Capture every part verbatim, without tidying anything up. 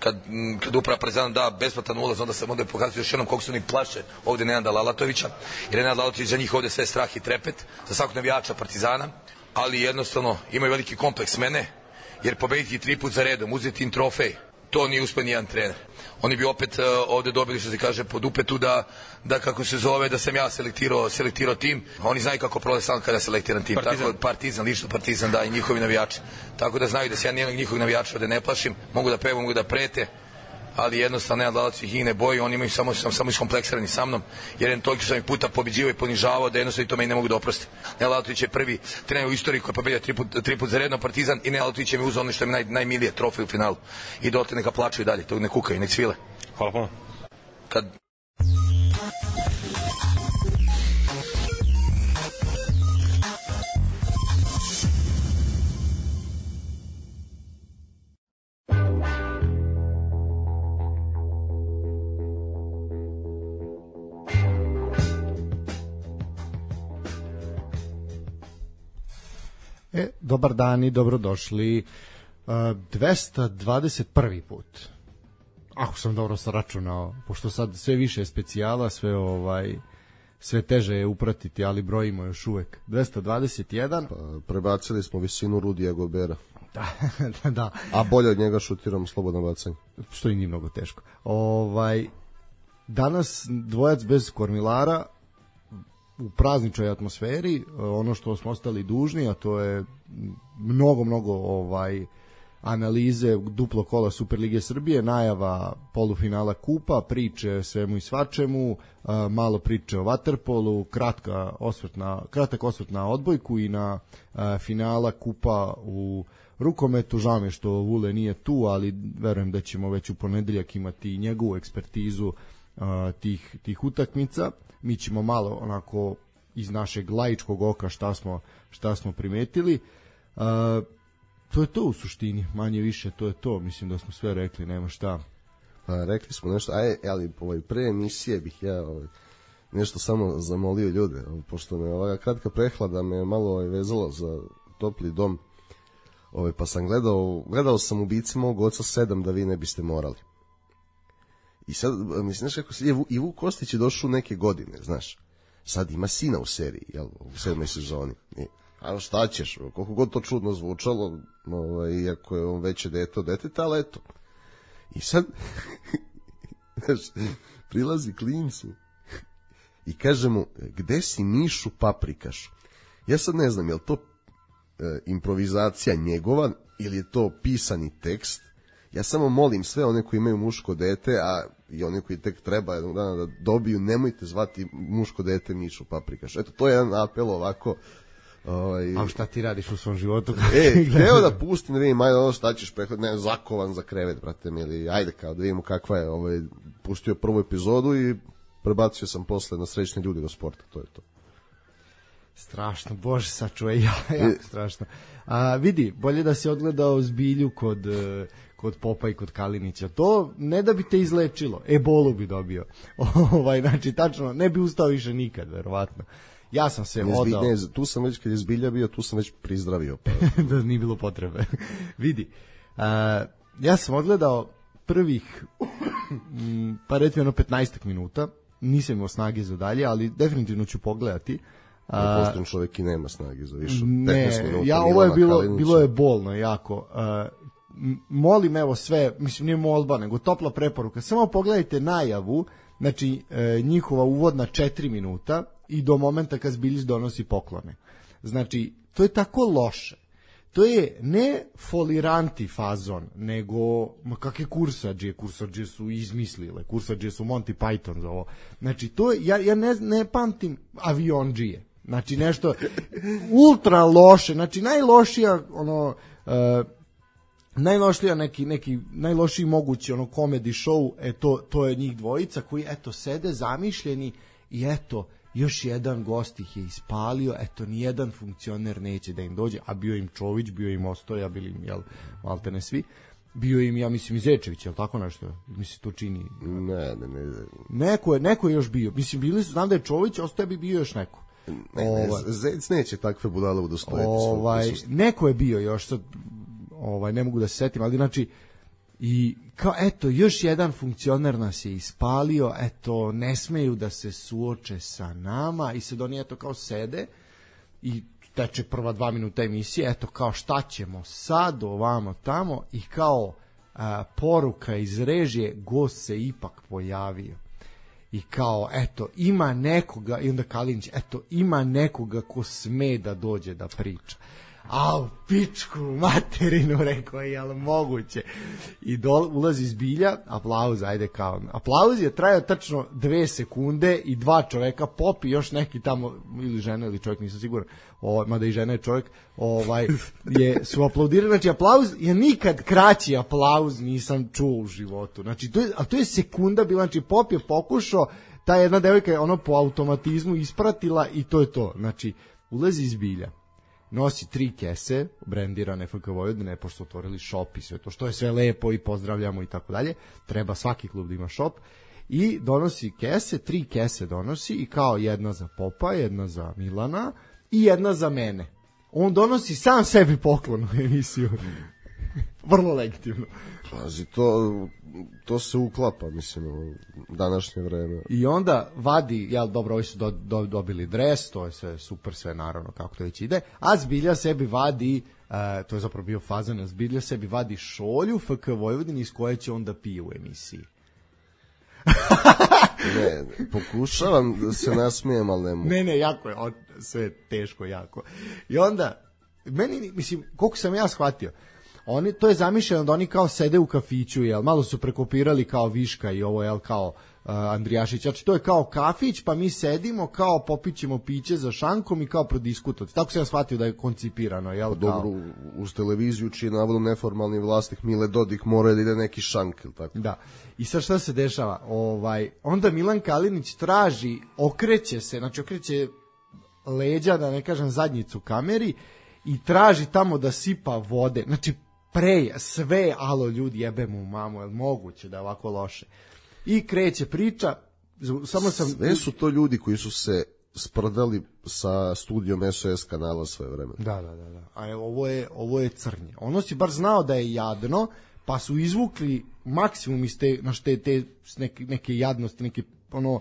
kad, kad uprava Partizana da besplatan ulaz, onda se onda pokazuje još jednom koliko su oni plaše ovde Nenada Lalatovića, jer Nenad Lalatović za njih ovde sve strah i trepet, za svakog navijača Partizana, ali jednostavno imaju veliki kompleks mene, jer pobediti tri put za redom, uzeti im trofej, to nije uspio nijedan trener. Oni bi opet uh, ovde dobili, što se kaže, pod upetu da, da kako se zove, da sam ja selektirao, selektirao tim. Oni znaju kako prolaze sam kada selektiram tim. Partizan. Tako, Partizan, lično Partizan, da, i njihovi navijači. Tako da znaju da se ja nijednog njihovih navijača ovde ne plašim, mogu da pevam, mogu da prete, ali jednostavno Nenad Lalatović ih ne boji, oni imaju samo, sam, samo iskompleksirani sa mnom, jer je toliko sam ih puta pobeđivao i ponižavao da jednostavno i to me ne mogu da oprosti. Nenad Lalatović je prvi trener u istoriji koji je pobedio tri put, tri put za redno Partizan i Nenad Lalatović je mi uzao ono što je mi naj, najmilije, trofej u finalu. I dotle neka plaču i dalje, to ne kukaju, nek svile. Hvala puno. Kad E, dobar dan i dobrodošli. Uh, dvesta dvadeset prvi put. Ako sam dobro sračunao, pošto sad sve više je specijala, sve ovaj sve teže je upratiti, ali brojimo još uvek. dvesta dvadeset jedan. Pa, prebacili smo visinu Rudija Gobera. Da, da, da. A bolje od njega šutiramo slobodno bacanje. Što i nije mnogo teško. Ovaj, danas dvojac bez kormilara, u prazničnoj atmosferi, ono što smo ostali dužni, a to je mnogo, mnogo ovaj analize duplo kola Superlige Srbije, najava polufinala kupa, priče svemu i svačemu, malo priče o vaterpolu, kratka osvrt na, kratak osvrt na odbojku i na finala kupa u rukometu. Žao mi je što Vule nije tu, ali verujem da ćemo već u ponedeljak imati njegovu ekspertizu tih, tih utakmica. Mi ćemo malo onako iz našeg laičkog oka šta smo, šta smo primetili. Uh, to je to u suštini, manje više to je to. Mislim da smo sve rekli, nema šta. Pa, rekli smo nešto, aj, ali ovaj, pre emisije bih ja ovaj, nešto samo zamolio ljude, ovaj, pošto me ova kratka prehlada me malo ovaj, vezalo za topli dom, ovaj, pa sam gledao, gledao sam Ubici mog oca sedam da vi ne biste morali. I sad, mislim, znaš kako se, i Vuk Kostić je došao neke godine, znaš, sad ima sina u seriji, jel, u sedmoj sezoni. I, a šta ćeš, koliko god to čudno zvučalo, ovaj, iako je on veće dete od deteta, ali eto. I sad, znaš, prilazi klincu i kaže mu, gde si Mišu Paprikašu? Ja sad ne znam, je li to e, improvizacija njegova ili je to pisani tekst? Ja samo molim sve one koji imaju muško dete, a i oni koji tek treba jednog dana da dobiju, nemojte zvati muško dete Mišu Paprikaš. Eto, to je jedan apel ovako. Ovaj... A šta ti radiš u svom životu? E, hteo da pustim, da vidim, ajde ono šta ćeš prehod, ne, zakovan za krevet, brate mi, ili ajde kao da vidimo kakva je, ovaj, pustio prvu epizodu i prebacio sam posle na Srećne ljude do sporta, to je to. Strašno, bože, sačuvaj, ja, jako strašno. A, vidi, bolje da si odgledao Zbilju kod, kod Popa i kod Kalinića. To ne da bi te izlečilo, ebolu bi dobio. Ovaj, znači, tačno, ne bi ustao više nikad, verovatno. Ja sam se ne, odao. Ne, tu sam već, kad je Zbilja bio, tu sam već prizdravio. Pa. Da nije bilo potrebe. Vidi, a, ja sam odgledao prvih, pa recimo jedno petnaestak minuta, nisam imao snage za dalje, ali definitivno ću pogledati. Uh, pošten čovjek i nema snage za više ne, petnaest minuta. Ja, ovo je bilo, bilo je bolno jako. Uh, molim evo sve, mislim nije molba, nego topla preporuka. Samo pogledajte najavu, znači uh, njihova uvodna četiri minuta i do momenta kad Zbiljić donosi poklone. Znači, to je tako loše. To je ne foliranti fazon, nego, ma kakve kursađe, kursađe su izmislile, kursađe su Monty Python za ovo. Znači, to je, ja, ja ne, ne pamtim avionđije. Znači, nešto ultra loše, znači najlošija, ono, uh, najlošija neki, neki, najlošiji mogući, ono, comedy show, e, to, to je njih dvojica koji, eto, sede zamišljeni i eto, još jedan gost ih je ispalio, eto, nijedan funkcioner neće da im dođe, a bio im Čović, bio im Ostoja, bili im, jel, malte ne svi, bio im, ja mislim, i Zečević, jel tako nešto, mislim, to čini. Ne, ne, ne. Neko je, neko je još bio, mislim, bili su, znam da je Čović, Ostoja bi bio još neko. Ne, ne, Zec neće takve budale udostojiti. Ovaj, neko je bio još, sad, ovaj, ne mogu da se setim, ali znači, I kao, eto, još jedan funkcioner nas je ispalio, eto, ne smeju da se suoče sa nama i sad oni, eto, kao sede i teče prva dva minuta emisije, eto, kao, šta ćemo sad, ovamo, tamo i kao a, poruka iz režije, gost se ipak pojavio. I kao, eto, ima nekoga, i onda Kalinić, eto, ima nekoga ko sme da dođe da priča. A u pičku materinu, rekao je, jel moguće? I dol, ulazi Zbilja, aplauz, ajde kao. Aplauz je trajao tačno dve sekunde i dva čoveka, Pop i još neki tamo, ili žena ili čovjek, nisam siguran, o, mada i žena je čovjek, ovaj, je, su aplaudirali, znači aplauz je nikad kraći aplauz nisam čuo u životu. Znači, to je, a to je sekunda bila, znači Pop je pokušao, ta jedna devojka je ono po automatizmu ispratila i to je to. Znači, ulazi Zbilja, nosi tri kese, brendirane F K Vojvodine, pošto su otvorili šop i sve to, što je sve lepo i pozdravljamo i tako dalje. Treba svaki klub da ima šop. I donosi kese, tri kese donosi i kao jedna za Popa, jedna za Milana i jedna za mene. On donosi sam sebi poklon u emisiju. Vrlo legitimno. Pazi, to, to se uklapa, mislim, u današnje vreme. I onda vadi, jel, dobro, ovi su do, do, dobili dres, to je sve super, sve naravno kako to već ide, a Zbilja sebi vadi, uh, to je zapravo bio fazan, Zbilja sebi vadi šolju F K Vojvodini iz koje će onda pije u emisiji. Ne, pokušavam da se nasmijem, ali ne mogu. Ne, ne, jako je, on, sve teško, jako. I onda, meni, mislim, koliko sam ja shvatio, oni, to je zamišljeno da oni kao sede u kafiću, jel, malo su prekopirali kao Viška i ovo, jel, kao uh, Andrijašić, znači to je kao kafić, pa mi sedimo, kao popićemo piće za šankom i kao prodiskutovati. Tako sam ja shvatio da je koncipirano, jel, kao... Dobro, uz televiziju čiji je navodno neformalni vlasnik Mile Dodik mora da ide neki šank, ili tako? Da. I sad šta se dešava? Ovaj, onda Milan Kalinić traži, okreće se, znači okreće leđa, da ne kažem zadnjicu kameri, i traži tamo da sipa vode, znači preja, sve, alo ljudi, jebe mu mamu, je li moguće da je ovako loše? I kreće priča, samo sam... Sve su to ljudi koji su se sprdali sa studijom S O S kanala svoje vreme. Da, da, da, da. A evo, ovo je, ovo je crnje. Ono si bar znao da je jadno, pa su izvukli maksimum iz te, znaš, te, te neke, neke jadnosti, neke, ono,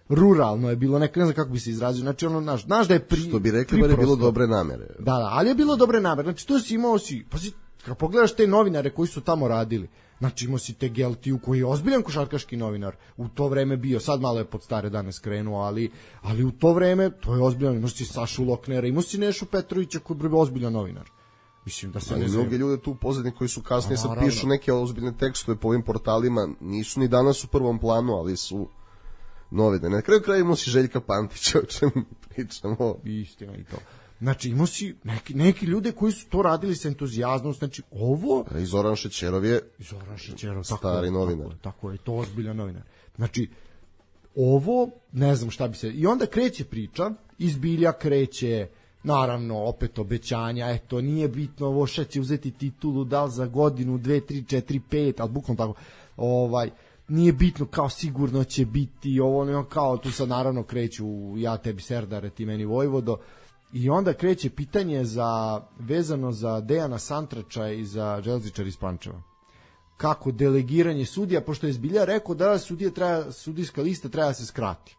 ruralno je bilo, neka, ne znam kako bi se izrazio, znači ono, znaš, znaš da je pri... Što bi rekli, bar je bilo dobre namere. Da, da, ali je bilo dobre namere, znači to si imao si, pa si, kad pogledaš te novinare koji su tamo radili, znači imao si te Geltiju koji je ozbiljan košarkaški novinar, u to vreme bio, sad malo je pod stare dane skrenuo, ali, ali u to vreme, to je ozbiljan, imao si Sašu Loknera, imao si Nešu Petrovića koji je ozbiljan novinar. Mislim da se ali ne znam. Mnogi ljude tu u pozadini koji su kasnije sad pišu neke ozbiljne tekstove po ovim portalima, nisu ni danas u prvom planu, ali su novine. Na kraju kraja imao si Željka Pantića, o čemu pričamo. Istina i to. Znači imao si neki, neki ljude koji su to radili sa entuzijazmom, znači ovo... I Zoran Šećerov je Zoran Šećerov, stari tako, novinar. Tako, tako je, to ozbiljan novinar. Znači, ovo, ne znam šta bi se... I onda kreće priča, iz Bilja kreće, naravno, opet obećanja, eto, nije bitno ovo šta će uzeti titulu, da li za godinu, dve, tri, četiri, pet, ali bukvalno tako, ovaj... nije bitno, kao sigurno će biti ovo, ne, kao tu sad naravno kreću ja tebi Serdare, ti meni Vojvodo, i onda kreće pitanje za, vezano za Dejana Santrača i za Železničar iz Pančeva. Kako delegiranje sudija, pošto je Zbilja rekao da sudija treba, sudijska lista treba da se skrati.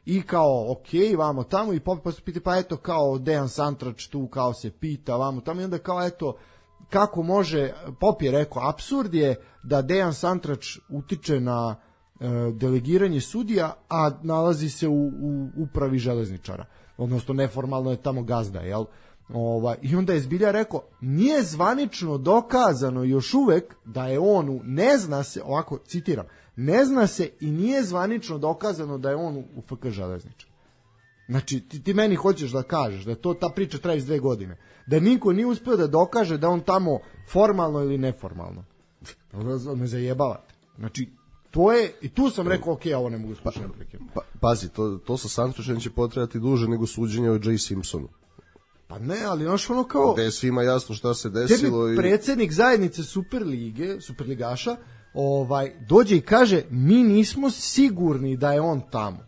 I kao, ok, vamo tamo, i Pop posle pita, pa eto, kao Dejan Santrač tu kao se pita, vamo tamo, i onda kao, eto, kako može, Pop je rekao, apsurd je da Dejan Santrač utiče na e, delegiranje sudija, a nalazi se u, u upravi Železničara. Odnosno, neformalno je tamo gazda, jel? Ova, i onda je Zbilja rekao, nije zvanično dokazano još uvek da je on, u, ne zna se, ovako, citiram, ne zna se i nije zvanično dokazano da je on u, u F K Železničar. Znači, ti, ti meni hoćeš da kažeš da to ta priča traje iz dve godine. Da niko nije uspio da dokaže da on tamo formalno ili neformalno. Me zajebavate. Znači, to je, i tu sam rekao, ok, ovo ne mogu slušati. Pa, pazi, to, to sa Santračem će potrebati duže nego suđenje o Jay Simpsonu. Pa ne, ali znaš ono kao... Gde je svima jasno šta se desilo. Tebi predsjednik zajednice Superlige, Superligaša, ovaj, dođe i kaže, mi nismo sigurni da je on tamo.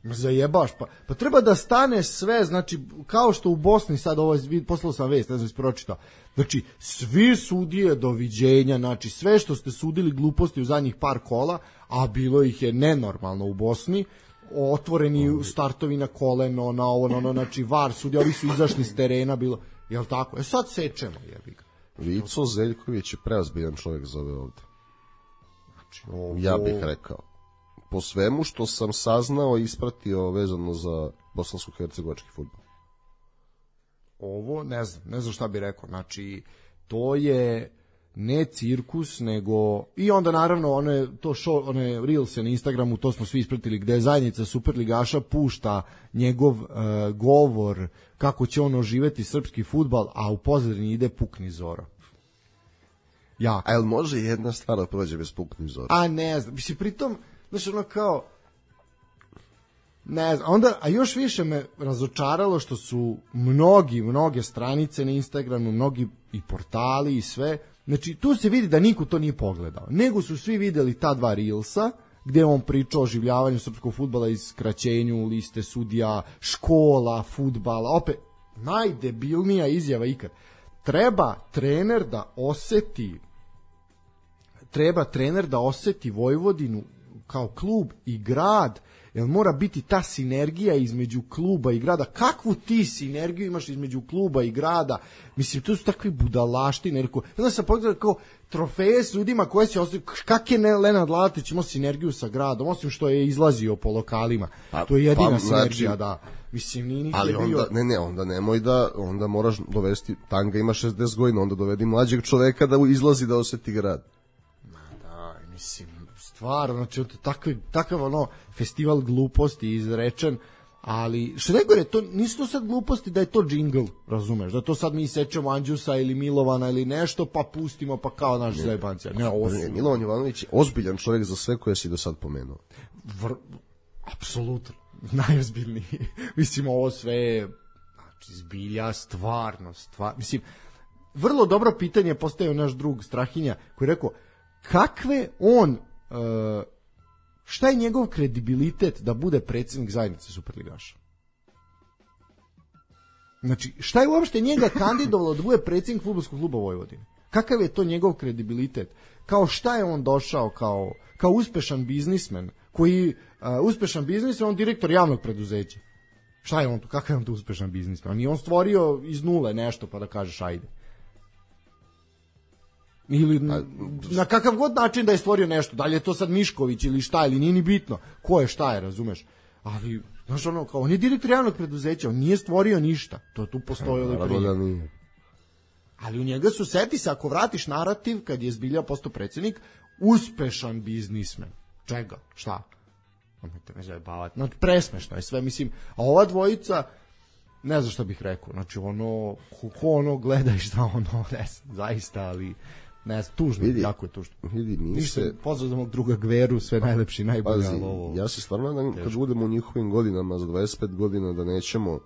Zajebaš, pa, pa treba da stane sve, znači, kao što u Bosni sad, ovo, poslao sam vest, ne znam, ispročitao, znači, svi sudije doviđenja, znači, sve što ste sudili gluposti u zadnjih par kola, a bilo ih je nenormalno u Bosni, otvoreni startovi na koleno, na ovo, na ono, znači, var sudija, ovi su izašli s terena, bilo, jel tako? E sad sečemo, jebi ga. Vico Zeljković je preozbiljan čovjek za ove ovde. Znači, ovo... Ja bih rekao. Po svemu što sam saznao i ispratio vezano za bosansko-hercegovački fudbal. Ovo, ne znam, ne znam šta bih rekao. Znači, to je ne cirkus, nego... I onda, naravno, one, to show, one reelse na Instagramu, to smo svi ispratili, gde je zajednica Superligaša pušta njegov uh, govor kako će on oživeti srpski fudbal, a u pozadini ide Pukni Zoro. Ja. A jel može jedna stvar da prođe bez Pukni Zoro? A ne znam, mislim, pritom, znači, ono kao... Ne znam, onda, a još više me razočaralo što su mnogi, mnoge stranice na Instagramu, mnogi i portali i sve, znači tu se vidi da niko to nije pogledao, nego su svi videli ta dva reelsa, gde on pričao o oživljavanju srpskog fudbala i skraćenju liste sudija, škola, fudbala, opet, najdebilnija izjava ikad. Treba trener da oseti, treba trener da oseti Vojvodinu kao klub i grad, jer mora biti ta sinergija između kluba i grada. Kakvu ti sinergiju imaš između kluba i grada? Mislim, to su takvi budalaštine. Onda sam pogledao kao trofeje s ljudima koje se ostavljaju. Kak je Lenard Lalatić imao sinergiju sa gradom, osim što je izlazio po lokalima. Pa, to je jedina pa, sinergija, znači, da. Mislim, nije nikad ali bio... onda, ne, ne, onda nemoj da, onda moraš dovesti, Tanga ima šezdeset godina, onda dovedi mlađeg čoveka da izlazi da oseti grad. Ma da, mislim, stvarno, znači, takav, takav ono, festival gluposti izrečen, ali, što najgore, to, nisu to sad gluposti da je to džingl, razumeš, da to sad mi sečemo Andžusa ili Milovana ili nešto, pa pustimo, pa kao naš zajebancija. Ne, ovo su... Ne, Milovan Jovanović je ozbiljan čovjek za sve koje si do sad pomenuo. Vr... Apsolutno, najozbiljniji. Mislim, ovo sve je, znači, zbilja, stvarno, stvarno, mislim, vrlo dobro pitanje postavio naš drug Strahinja, koji je rekao, kakve on, uh, šta je njegov kredibilitet da bude predsjednik zajednice Superligaša? Znači, šta je uopšte njega kandidovalo da bude predsjednik fudbalskog kluba Vojvodine? Kakav je to njegov kredibilitet? Kao šta je on došao kao, kao uspešan biznismen, koji, uh, uspešan biznismen, on direktor javnog preduzeća. Šta je on tu? Kakav je on tu uspešan biznismen? I on stvorio iz nule nešto pa da kažeš ajde. Ili na, na kakav god način da je stvorio nešto, da li je to sad Mišković ili šta, ili nije ni bitno ko je, šta je, razumeš, ali znaš ono, kao on je direktor javnog preduzeća, on nije stvorio ništa, to tu postoji prije. Ali u njega su, seti se, ako vratiš narativ kad je zbilja postao predsjednik, uspešan biznismen. Čega? Šta? Nemojte me zajebavati, znači presmešno je sve, mislim, a ova dvojica, ne znam šta bih rekao, znači ono, ko, ko ono gleda i šta ono, ne znam, zaista, ali ne znam, tužno, vidi, jako je tužno. Vidi, mi Ništa, se... pozdrav za mog druga Gveru, sve najlepši, najbolje, ali ovo... Ja se stvarno nadam, kad budemo u njihovim godinama, za dvadeset pet godina, da nećemo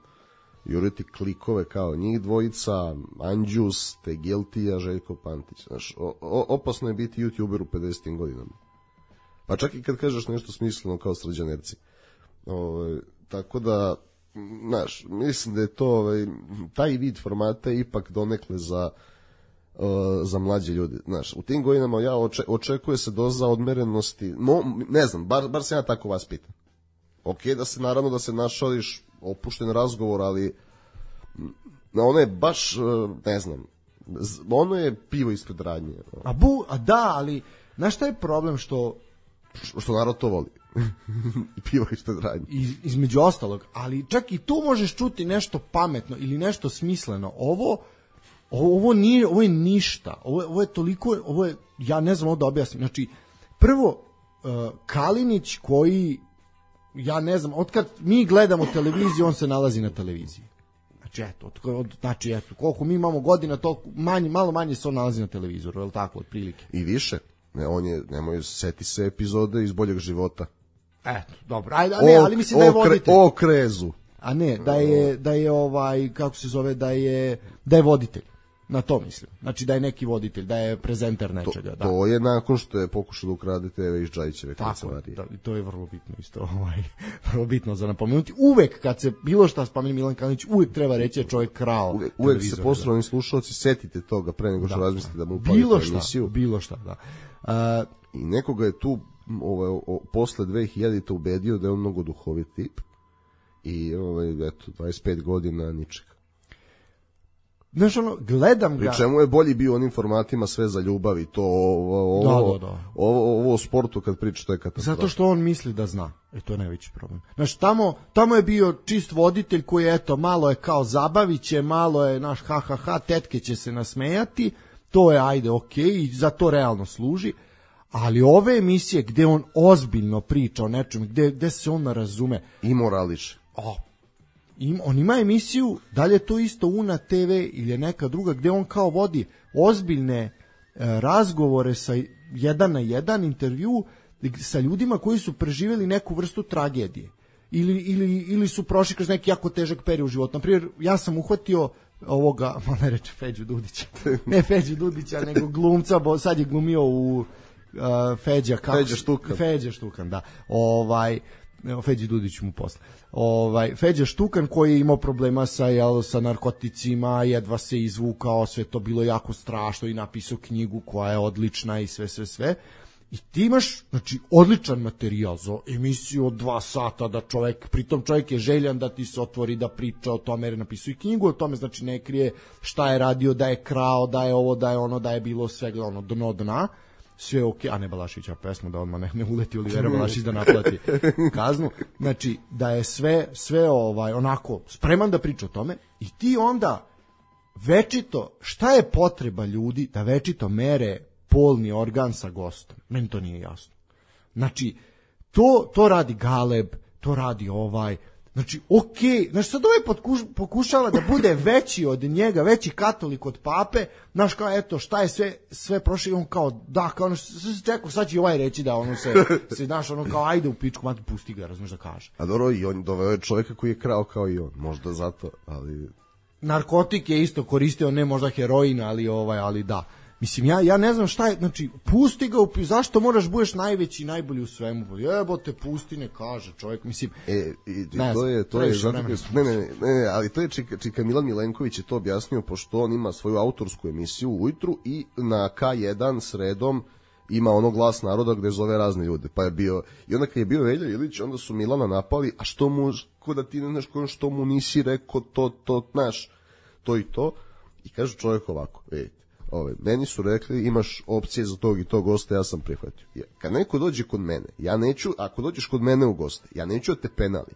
juriti klikove kao njih dvojica, Andžus, Tegeltija, Željko Pantić. Znaš, o, o, opasno je biti youtuber u pedesetim godinama. Pa čak i kad kažeš nešto smisleno kao srđanerci. O, tako da, znaš, mislim da je to, ovaj, taj vid formata je ipak donekle za... za mlađe ljude, znaš, u tim godinama ja oče, očekuje se doza odmerenosti, no, ne znam, bar, bar se ja tako vas pitam. Ok, da se naravno da se našališ opušten razgovor, ali ono je baš, ne znam, ono je pivo ispred radnje. A, bu, a da, ali znaš šta je problem što što narod to voli. Pivo ispred radnje. Iz, između ostalog, ali čak i tu možeš čuti nešto pametno ili nešto smisleno. Ovo Ovo nije, ovo je ništa. Ovo, ovo je toliko, ovo je, ja ne znam ovo da objasnim. Znači, prvo, uh, Kalinić koji, ja ne znam, otkad mi gledamo televiziju, on se nalazi na televiziji. Znači, eto, od, od, znači, eto, koliko mi imamo godina, toliko manje, malo manje se on nalazi na televizoru, je li tako, otprilike? I više. Ne, on je, nemoj, seti se epizode iz Boljeg života. Eto, dobro, ajde, ne, ali mislim da je voditelj. O krezu. A ne, da je, da je ovaj, kako se zove, da je, da je voditelj. Na to mislim. Znači da je neki voditelj, da je prezenter nečega. To, da. to je nakon što je pokušao da ukrade te ve iz Džajićeve kancelarije. Tako, da, to je vrlo bitno isto. Ovaj, vrlo bitno za napomenuti. Uvek kad se bilo šta spomeni Milan Kalinić, uvek treba reći da čovjek krao. Uvek, uvek se poštovani slušalci setite toga pre nego što da, razmislite da mu upalite emisiju. Bilo šta, da. Uh, I nekoga je tu ovaj, o, posle dve hiljadite ubedio da je on mnogo duhovit tip. I ovaj, eto, dvadeset pet godina ničega. Znaš, ono, gledam ga... Pri čemu je bolji bio onim formatima sve za ljubav i to ovo, ovo, da, da, da. ovo, ovo o sportu kad priča, to je katastrofa. Zato što on misli da zna. E, to je najveći problem. Znaš, tamo, tamo je bio čist voditelj koji, eto, malo je kao zabaviće, malo je, naš, ha, ha, ha, tetke će se nasmejati, to je, ajde, okej, okay, i za to realno služi, ali ove emisije gde on ozbiljno priča o nečem, gde, gde se on razume... I morališe. O, Im, on ima emisiju, da li je to isto Una te ve ili je neka druga, gde on kao vodi ozbiljne e, razgovore sa jedan na jedan intervju sa ljudima koji su preživjeli neku vrstu tragedije ili, ili, ili su prošli kroz neki jako težak period u životu. Naprimjer, ja sam uhvatio ovoga, ma ne reče Feđu Dudića, ne Feđu Dudića, nego glumca, bo sad je glumio u uh, Feđa, kako, Feđa Štukan. Feđa Štukan, da. Ovaj, Feđi Dudić mu posle. Ovaj Feđa Štukan koji je imao problema sa jel, sa narkoticima, jedva se izvukao, sve to bilo jako strašno i napisao knjigu koja je odlična i sve sve sve. I ti imaš, znači, odličan materijal za emisiju od dva sata da čovjek, pritom čovjek je željan da ti se otvori da priča o tome, jer je napisao i knjigu o tome, znači ne krije šta je radio, da je krao, da je ovo, da je ono, da je bilo svega ono dno dna. Sve okej, okay, a ne Balašića pesmu da odmah ne, ne uleti Olivera Balašić da naplati kaznu. Znači da je sve sve ovaj onako spreman da priča o tome i ti onda večito, šta je potreba ljudi da večito mere polni organ sa gostom? Meni to nije jasno. Znači to to radi Galeb, to radi ovaj. Znači, okej, okay. Znači sad ovaj potkuš, pokušava da bude veći od njega, veći katolik od pape, znaš kao, eto, šta je sve, sve prošlo i on kao, da, kao ono, sve se čekao, sad će ovaj reći da ono se, se znaš, ono kao, ajde u pičku, mati, pusti ga, razumiješ da kaže. A dobro, i on doveo je čovjeka koji je krao kao i on, možda zato, ali... Narkotik je isto koristio, ne možda heroin, ali ovaj, ali da. Mislim, ja, ja ne znam šta je, znači, pusti ga, upi, zašto moraš budeš najveći i najbolji u svemu? Jebote, pusti, ne kaže čovjek, mislim... E, i, i to je, to je, zato, ne, ne, ne, ne, ali to je Čika, Čika Milan Milenković je to objasnio, pošto on ima svoju autorsku emisiju ujutru i na ka jedan sredom ima ono Glas naroda gde zove razne ljude, pa je bio, i onda kad je bio Velja Ilić, onda su Milana napali, a što mu, ko da ti ne znaš ko, što mu nisi rekao to, to, znaš, to i to, i kaže čovjek ovako, vidite, ove, meni su rekli imaš opcije za tog i tog gosta, ja sam prihvatio. Ja, kad neko dođe kod mene, ja neću, ako dođeš kod mene u goste, ja neću da te penali.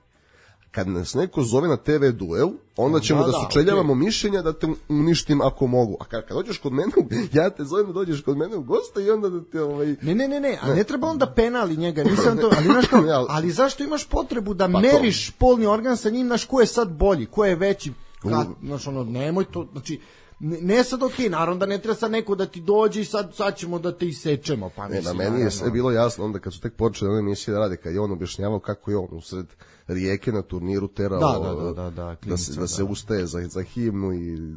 Kad nas neko zove na te ve duel, onda ćemo da, da, da sučeljavamo okay. mišljenja da te uništim ako mogu. A kad, kad dođeš kod mene, ja te zovem da dođeš kod mene u goste i onda da te ovaj... Ne, ne, ne, ne, a ne, ne treba onda penali njega, nisam to, ali znaš kao, ali zašto imaš potrebu da pa meriš to. Polni organ sa njim, znaš ko je sad bolji, ko je veći, kad, znaš ono, nemoj to, znači, Ne, ne sad okej, okay, naravno da ne treba sad neko da ti dođe i sad, sad ćemo da te isečemo. Pa ne, na meni naravno. Je sve bilo jasno onda kad su tek počeli one emisije da rade, kad je on objašnjavao kako je on usred rijeke na turniru terao da, da, da, da, da, da, se, da se ustaje za, za himnu i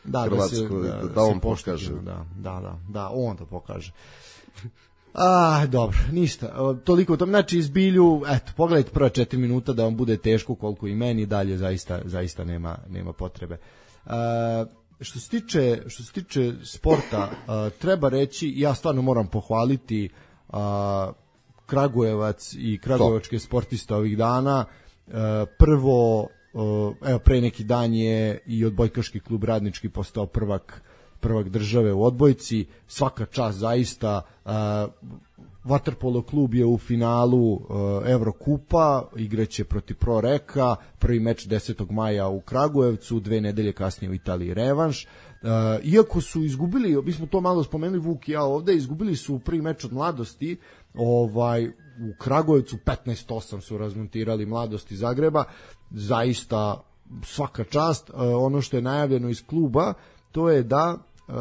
da, Hrvatsku, da, se, da, da on pokaže. Da, da, da, da, on to pokaže. Ah, dobro, ništa. Toliko o tom, znači izbilju, eto, pogledajte prva četiri minuta da vam bude teško koliko i meni, dalje zaista, zaista nema, nema potrebe. Uh, Što se tiče, što se tiče sporta, uh, treba reći, ja stvarno moram pohvaliti uh, Kragujevac i kragujevačke sportiste ovih dana. Uh, prvo, uh, evo pre neki dan je i odbojkaški klub Radnički postao prvak, prvak države u odbojci. Svaka čast zaista. Uh, Vaterpolo klub je u finalu uh, Evrokupa, igraće protiv Pro Reka, prvi meč desetog maja u Kragujevcu, dve nedelje kasnije u Italiji revanš. Uh, iako su izgubili, mi smo to malo spomenuli Vuk i ja ovde, izgubili su prvi meč od Mladosti, ovaj u Kragujevcu petnaest osam su razmontirali Mladosti Zagreba, zaista svaka čast. Uh, ono što je najavljeno iz kluba, to je da uh,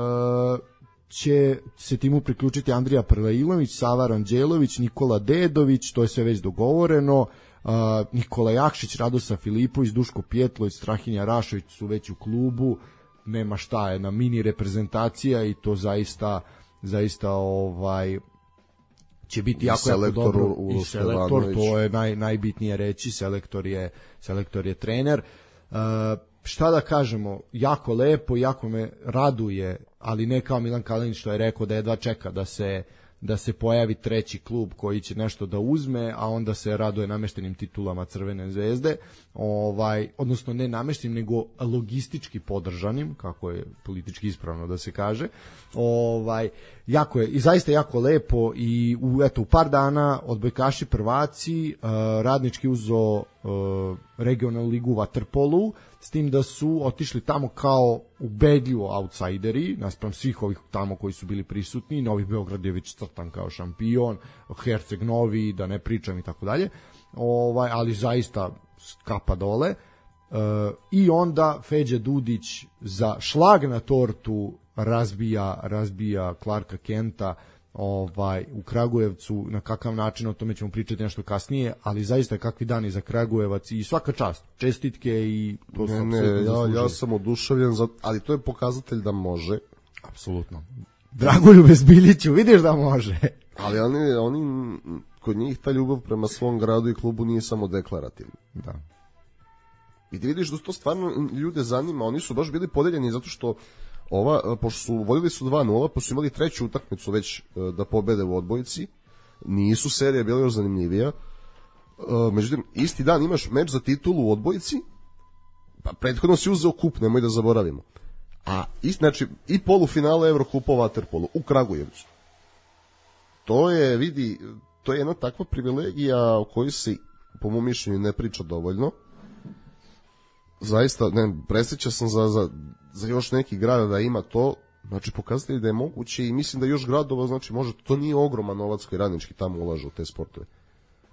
će se timu priključiti Andrija Prlailović, Sava Ranđelović, Nikola Dedović, to je sve već dogovoreno, uh, Nikola Jakšić, Radosa Filipović, Duško Pjetlović, Strahinja Rašović su već u klubu, nema šta, jedna mini reprezentacija i to zaista zaista ovaj će biti jako, jako dobro i selektor, to je naj, najbitnije reći, selektor je, selektor je trener. Uh, šta da kažemo, jako lepo, jako me raduje, ali ne kao Milan Kalinić što je rekao da jedva čeka da se da se pojavi treći klub koji će nešto da uzme, a onda se raduje nameštenim titulama Crvene zvezde, ovaj, odnosno ne nameštenim, nego logistički podržanim, kako je politički ispravno da se kaže. Ovaj, jako je, i zaista jako lepo i u, eto, u par dana odbojkaši prvaci, uh, Radnički uzo uh, regionalnu ligu u vaterpolu, s tim da su otišli tamo kao ubedljivo outsideri, naspram svih ovih tamo koji su bili prisutni. Novi Beograd je već crtan kao šampion, Herceg Novi, da ne pričam i tako dalje, ovaj, ali zaista kapa dole. Uh, i onda Feđa Dudić za šlag na tortu razbija, razbija Clarka Kenta ovaj, u Kragujevcu. Na kakav način, o tome ćemo pričati nešto kasnije, ali zaista kakvi dani za Kragujevac i svaka čast, čestitke i to ne, sam ne, ja, ja sam oduševljen, za, ali to je pokazatelj da može. Apsolutno. Dragoljube Zbiljiću, vidiš da može. Ali oni, oni, kod njih ta ljubav prema svom gradu i klubu nije samo deklarativna. Da. I ti vidiš da to stvarno ljude zanima, oni su baš bili podeljeni zato što ova, pošto su vodili su dva nula, pa su imali treću utakmicu već da pobede u odbojici, nisu serije bile još zanimljivija. Međutim, isti dan imaš meč za titulu u odbojici, pa prethodno si uzeo kup, nemoj da zaboravimo. A i, znači, i polufinale Evrokupa u vaterpolu u Kragujevcu. To je, vidi, to je jedna takva privilegija o kojoj se, po mom mišljenju, ne priča dovoljno. Zaista, ne, presjeća sam za, za, za još neki grad da ima to, znači pokazatelji da je moguće i mislim da još gradova, znači može, to nije ogroman novac koji Radnički tamo ulaže u te sportove.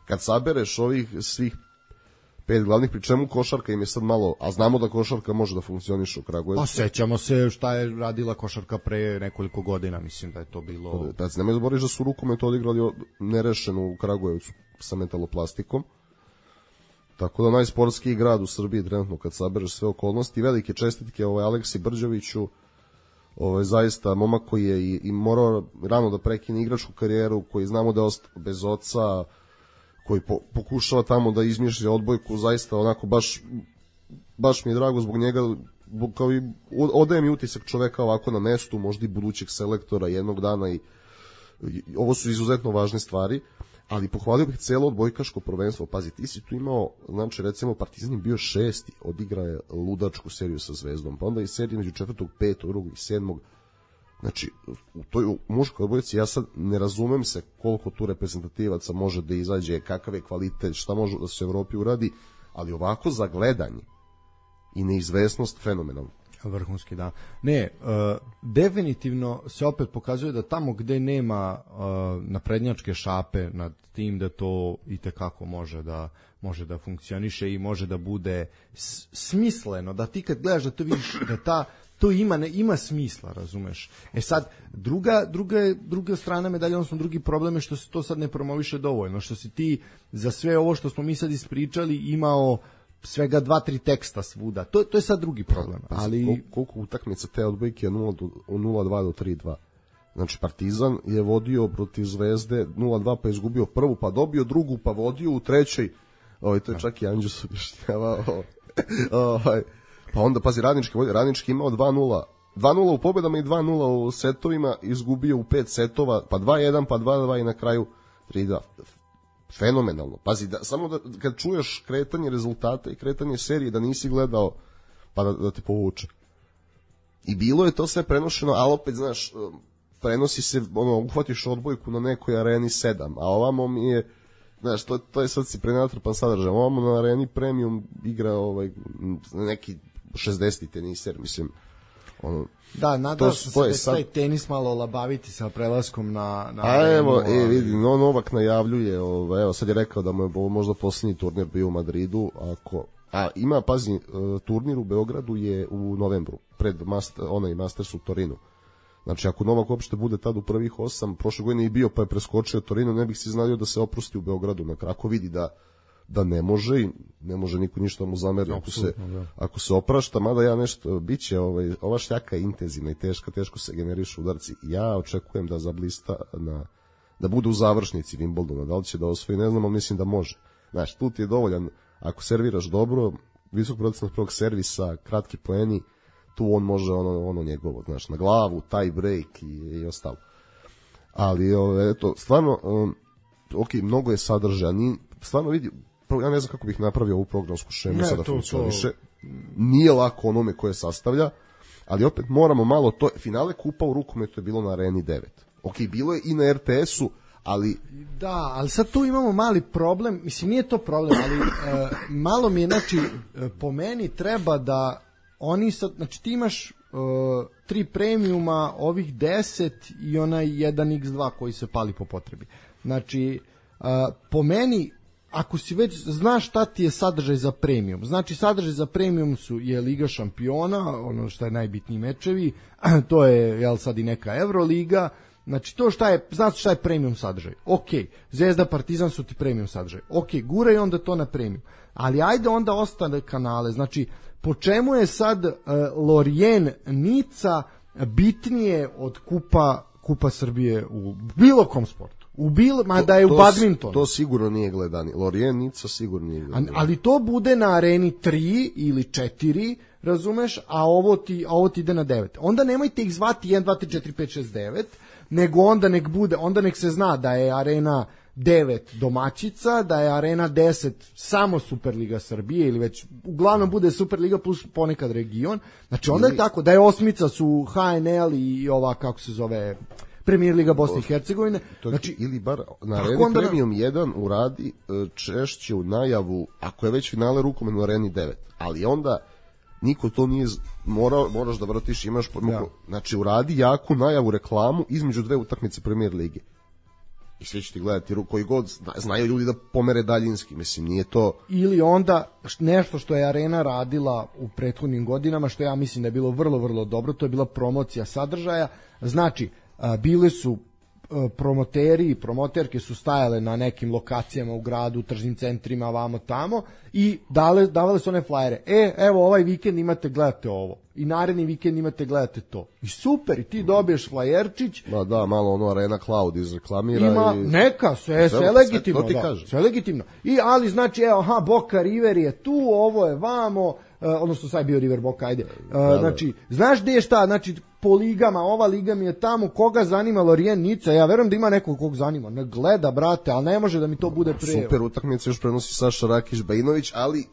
Kad sabereš ovih svih pet glavnih, pri čemu košarka im je sad malo, a znamo da košarka može da funkcioniše u Kragujevcu. Pa sećamo se šta je radila košarka pre nekoliko godina, mislim da je to bilo... Pa nemoj zaboraviti da su rukomet odigrali nerešeno u Kragujevcu sa metaloplastikom. Tako da najsportskiji grad u Srbiji trenutno kad sabereš sve okolnosti. Velike čestitke ovaj Aleksi Brđeviću, ovaj zaista momak koji je i, i morao rano da prekine igračku karijeru, koji znamo da je ostao bez oca, koji po, pokušava tamo da izmišlja odbojku, zaista onako baš baš mi je drago zbog njega, kao i odaje mi utisak čoveka ovako na mestu, možda i budućeg selektora jednog dana i, i ovo su izuzetno važne stvari. Ali pohvalio bih celo odbojkaško prvenstvo. Pazi, ti si tu imao, znači recimo Partizan je bio šesti, odigrao je ludačku seriju sa Zvezdom, pa onda i seriju među četvrtog, petog, drugog i sedmog. Znači, u toj muškoj odbojci ja sad ne razumem se koliko tu reprezentativaca može da izađe, kakav je kvalitet, šta može da se u Evropi uradi, ali ovako za gledanje i neizvesnost fenomenalno. Vrhunski, da. Ne, uh, definitivno se opet pokazuje da tamo gde nema uh, naprednjačke šape nad tim, da to itekako može da može da funkcioniše i može da bude s- smisleno, da ti kad gledaš da to vidiš da ta to ima ne ima smisla, razumeš. E sad druga druga druga strana medalje, odnosno drugi problem je što se to sad ne promoviše dovoljno, što si ti za sve ovo što smo mi sad ispričali imao svega dva, tri teksta svuda. To, to je sad drugi problem. Ali... Koliko, koliko utakmica te odbojke je nula dva do tri dva. Znači, Partizan je vodio protiv Zvezde nula dva, pa je izgubio prvu, pa dobio drugu, pa vodio u trećoj. Ovaj, to je čak i Anđus objašnjavao. Ovaj, pa onda, pazi, Radnički, Radnički imao dva nula. dva nula u pobedama i dva nula u setovima, izgubio u pet setova, pa dva jedan, pa dva dva i na kraju tri dva. Fenomenalno. Pazi, da, samo da kad čuješ kretanje rezultata i kretanje serije da nisi gledao, pa da, da te povuče. I bilo je to sve prenošeno, ali opet, znaš, prenosi se, ono, uhvatiš odbojku na nekoj areni sedam, a ovamo mi je, znaš, to, to je sad si prenatrpan sadržaj, ovamo na areni premium igra ovaj, neki šezdeseti teniser, mislim, ono, da, nadao sam se da sad... taj tenis malo olabaviti sa prelaskom na... na a evo, e, vidi, no, Novak najavljuje, ovaj, evo, sad je rekao da mu je ovo možda posljednji turnir bio u Madridu, ako... A ima, pazi, turnir u Beogradu je u novembru, pred master, onaj Masters u Torinu. Znači, ako Novak uopšte bude tad u prvih osam, prošle godine i bio pa je preskočio Torino, ne bih si znao da se oprosti u Beogradu, na krako vidi da da ne može i ne može niko ništa mu zameri ako se, ako se oprašta, mada ja nešto biće, ovaj, ova šljaka je intenzivna i teška, teško se generišu udarci. Ja očekujem da zablista na, da bude u završnici Wimbledona, da li će da osvoji, ne znam, ali mislim da može. Znaš, tu ti je dovoljan, ako serviraš dobro, visok procenat prvog servisa, kratki poeni, tu on može ono, ono njegovo, znaš, na glavu, tie break i, i ostalo. Ali, ove, eto, stvarno, um, ok, mnogo je sadržaja, ni, stvarno vidi, ja ne znam kako bih napravio ovu programsku šemu sada funkcioniše, nije lako onome koje sastavlja, ali opet moramo malo to, finale kupa u rukometu je bilo na Areni devet. Ok, bilo je i na er te esu, ali... Da, ali sad tu imamo mali problem, mislim nije to problem, ali e, malo mi je, znači, e, po meni treba da oni sad, znači ti imaš e, tri premiuma, ovih deset i onaj jedan iks dva koji se pali po potrebi. Znači, e, po meni, ako si već znaš šta ti je sadržaj za premium, znači sadržaj za premium su je Liga šampiona, ono što je najbitniji mečevi, to je, jel sad i neka Euroliga. Znači to šta je, znači šta je premium sadržaj. Ok, Zvezda, Partizan su ti premium sadržaj. Ok, guraj onda to na premium. Ali ajde onda ostane kanale. Znači, po čemu je sad uh, Lorient Nica bitnije od kupa, kupa Srbije u bilo kom sportu? U bilo, ma da je u badmintonu. To sigurno nije gledani. Lorient Nica sigurno nije gledani. Ali to bude na Areni tri ili četiri, razumeš, a ovo ti, a ovo ti ide na devet. Onda nemojte ih zvati jedan, dva, tri, četiri, pet, šest, devet, nego onda nek bude, onda nek se zna da je Arena devet domaćica, da je Arena deset samo Superliga Srbije ili već uglavnom bude Superliga plus ponekad region. Znači onda je tako da je osmica su ha en el i ova kako se zove Premier Liga Bosne i Hercegovine. Znači ili bar na Areni onda... Premium jedan uradi češće u najavu ako je već finale rukometno na Areni devet, ali onda niko to nije morao, moraš da vratiš, imaš ja. Znači uradi jaku najavu reklamu između dve utakmice Premier lige i svi će ti gledati koji god znaju ljudi da pomere daljinski, mislim nije to. Ili onda nešto što je Arena radila u prethodnim godinama, što ja mislim da je bilo vrlo vrlo dobro, to je bila promocija sadržaja. Znači bile su promoteri i promoterke su stajale na nekim lokacijama u gradu, u tržnim centrima, vamo tamo i dale, davale su one flajere. E, evo ovaj vikend imate, gledate ovo. I naredni vikend imate, gledate to. I super, i ti dobiješ flajerčić. Ma da, malo ono Arena Cloud izreklamira. Ima, i... neka, sve, sve, sve legitimno. To ti da, kaže. Sve legitimno. I, ali znači, evo, aha, Boca River je tu, ovo je vamo, uh, odnosno sad je bio River Boca, ajde. Uh, da, znači, da. Znaš gde je šta, znači, po ligama, ova liga mi je tamo, koga zanima Lorient Nica, ja verujem da ima nekog kog zanima, ne gleda, brate, ali ne može da mi to bude pre. Super utakmice još prenosi Saša Rakić Bajinović, ali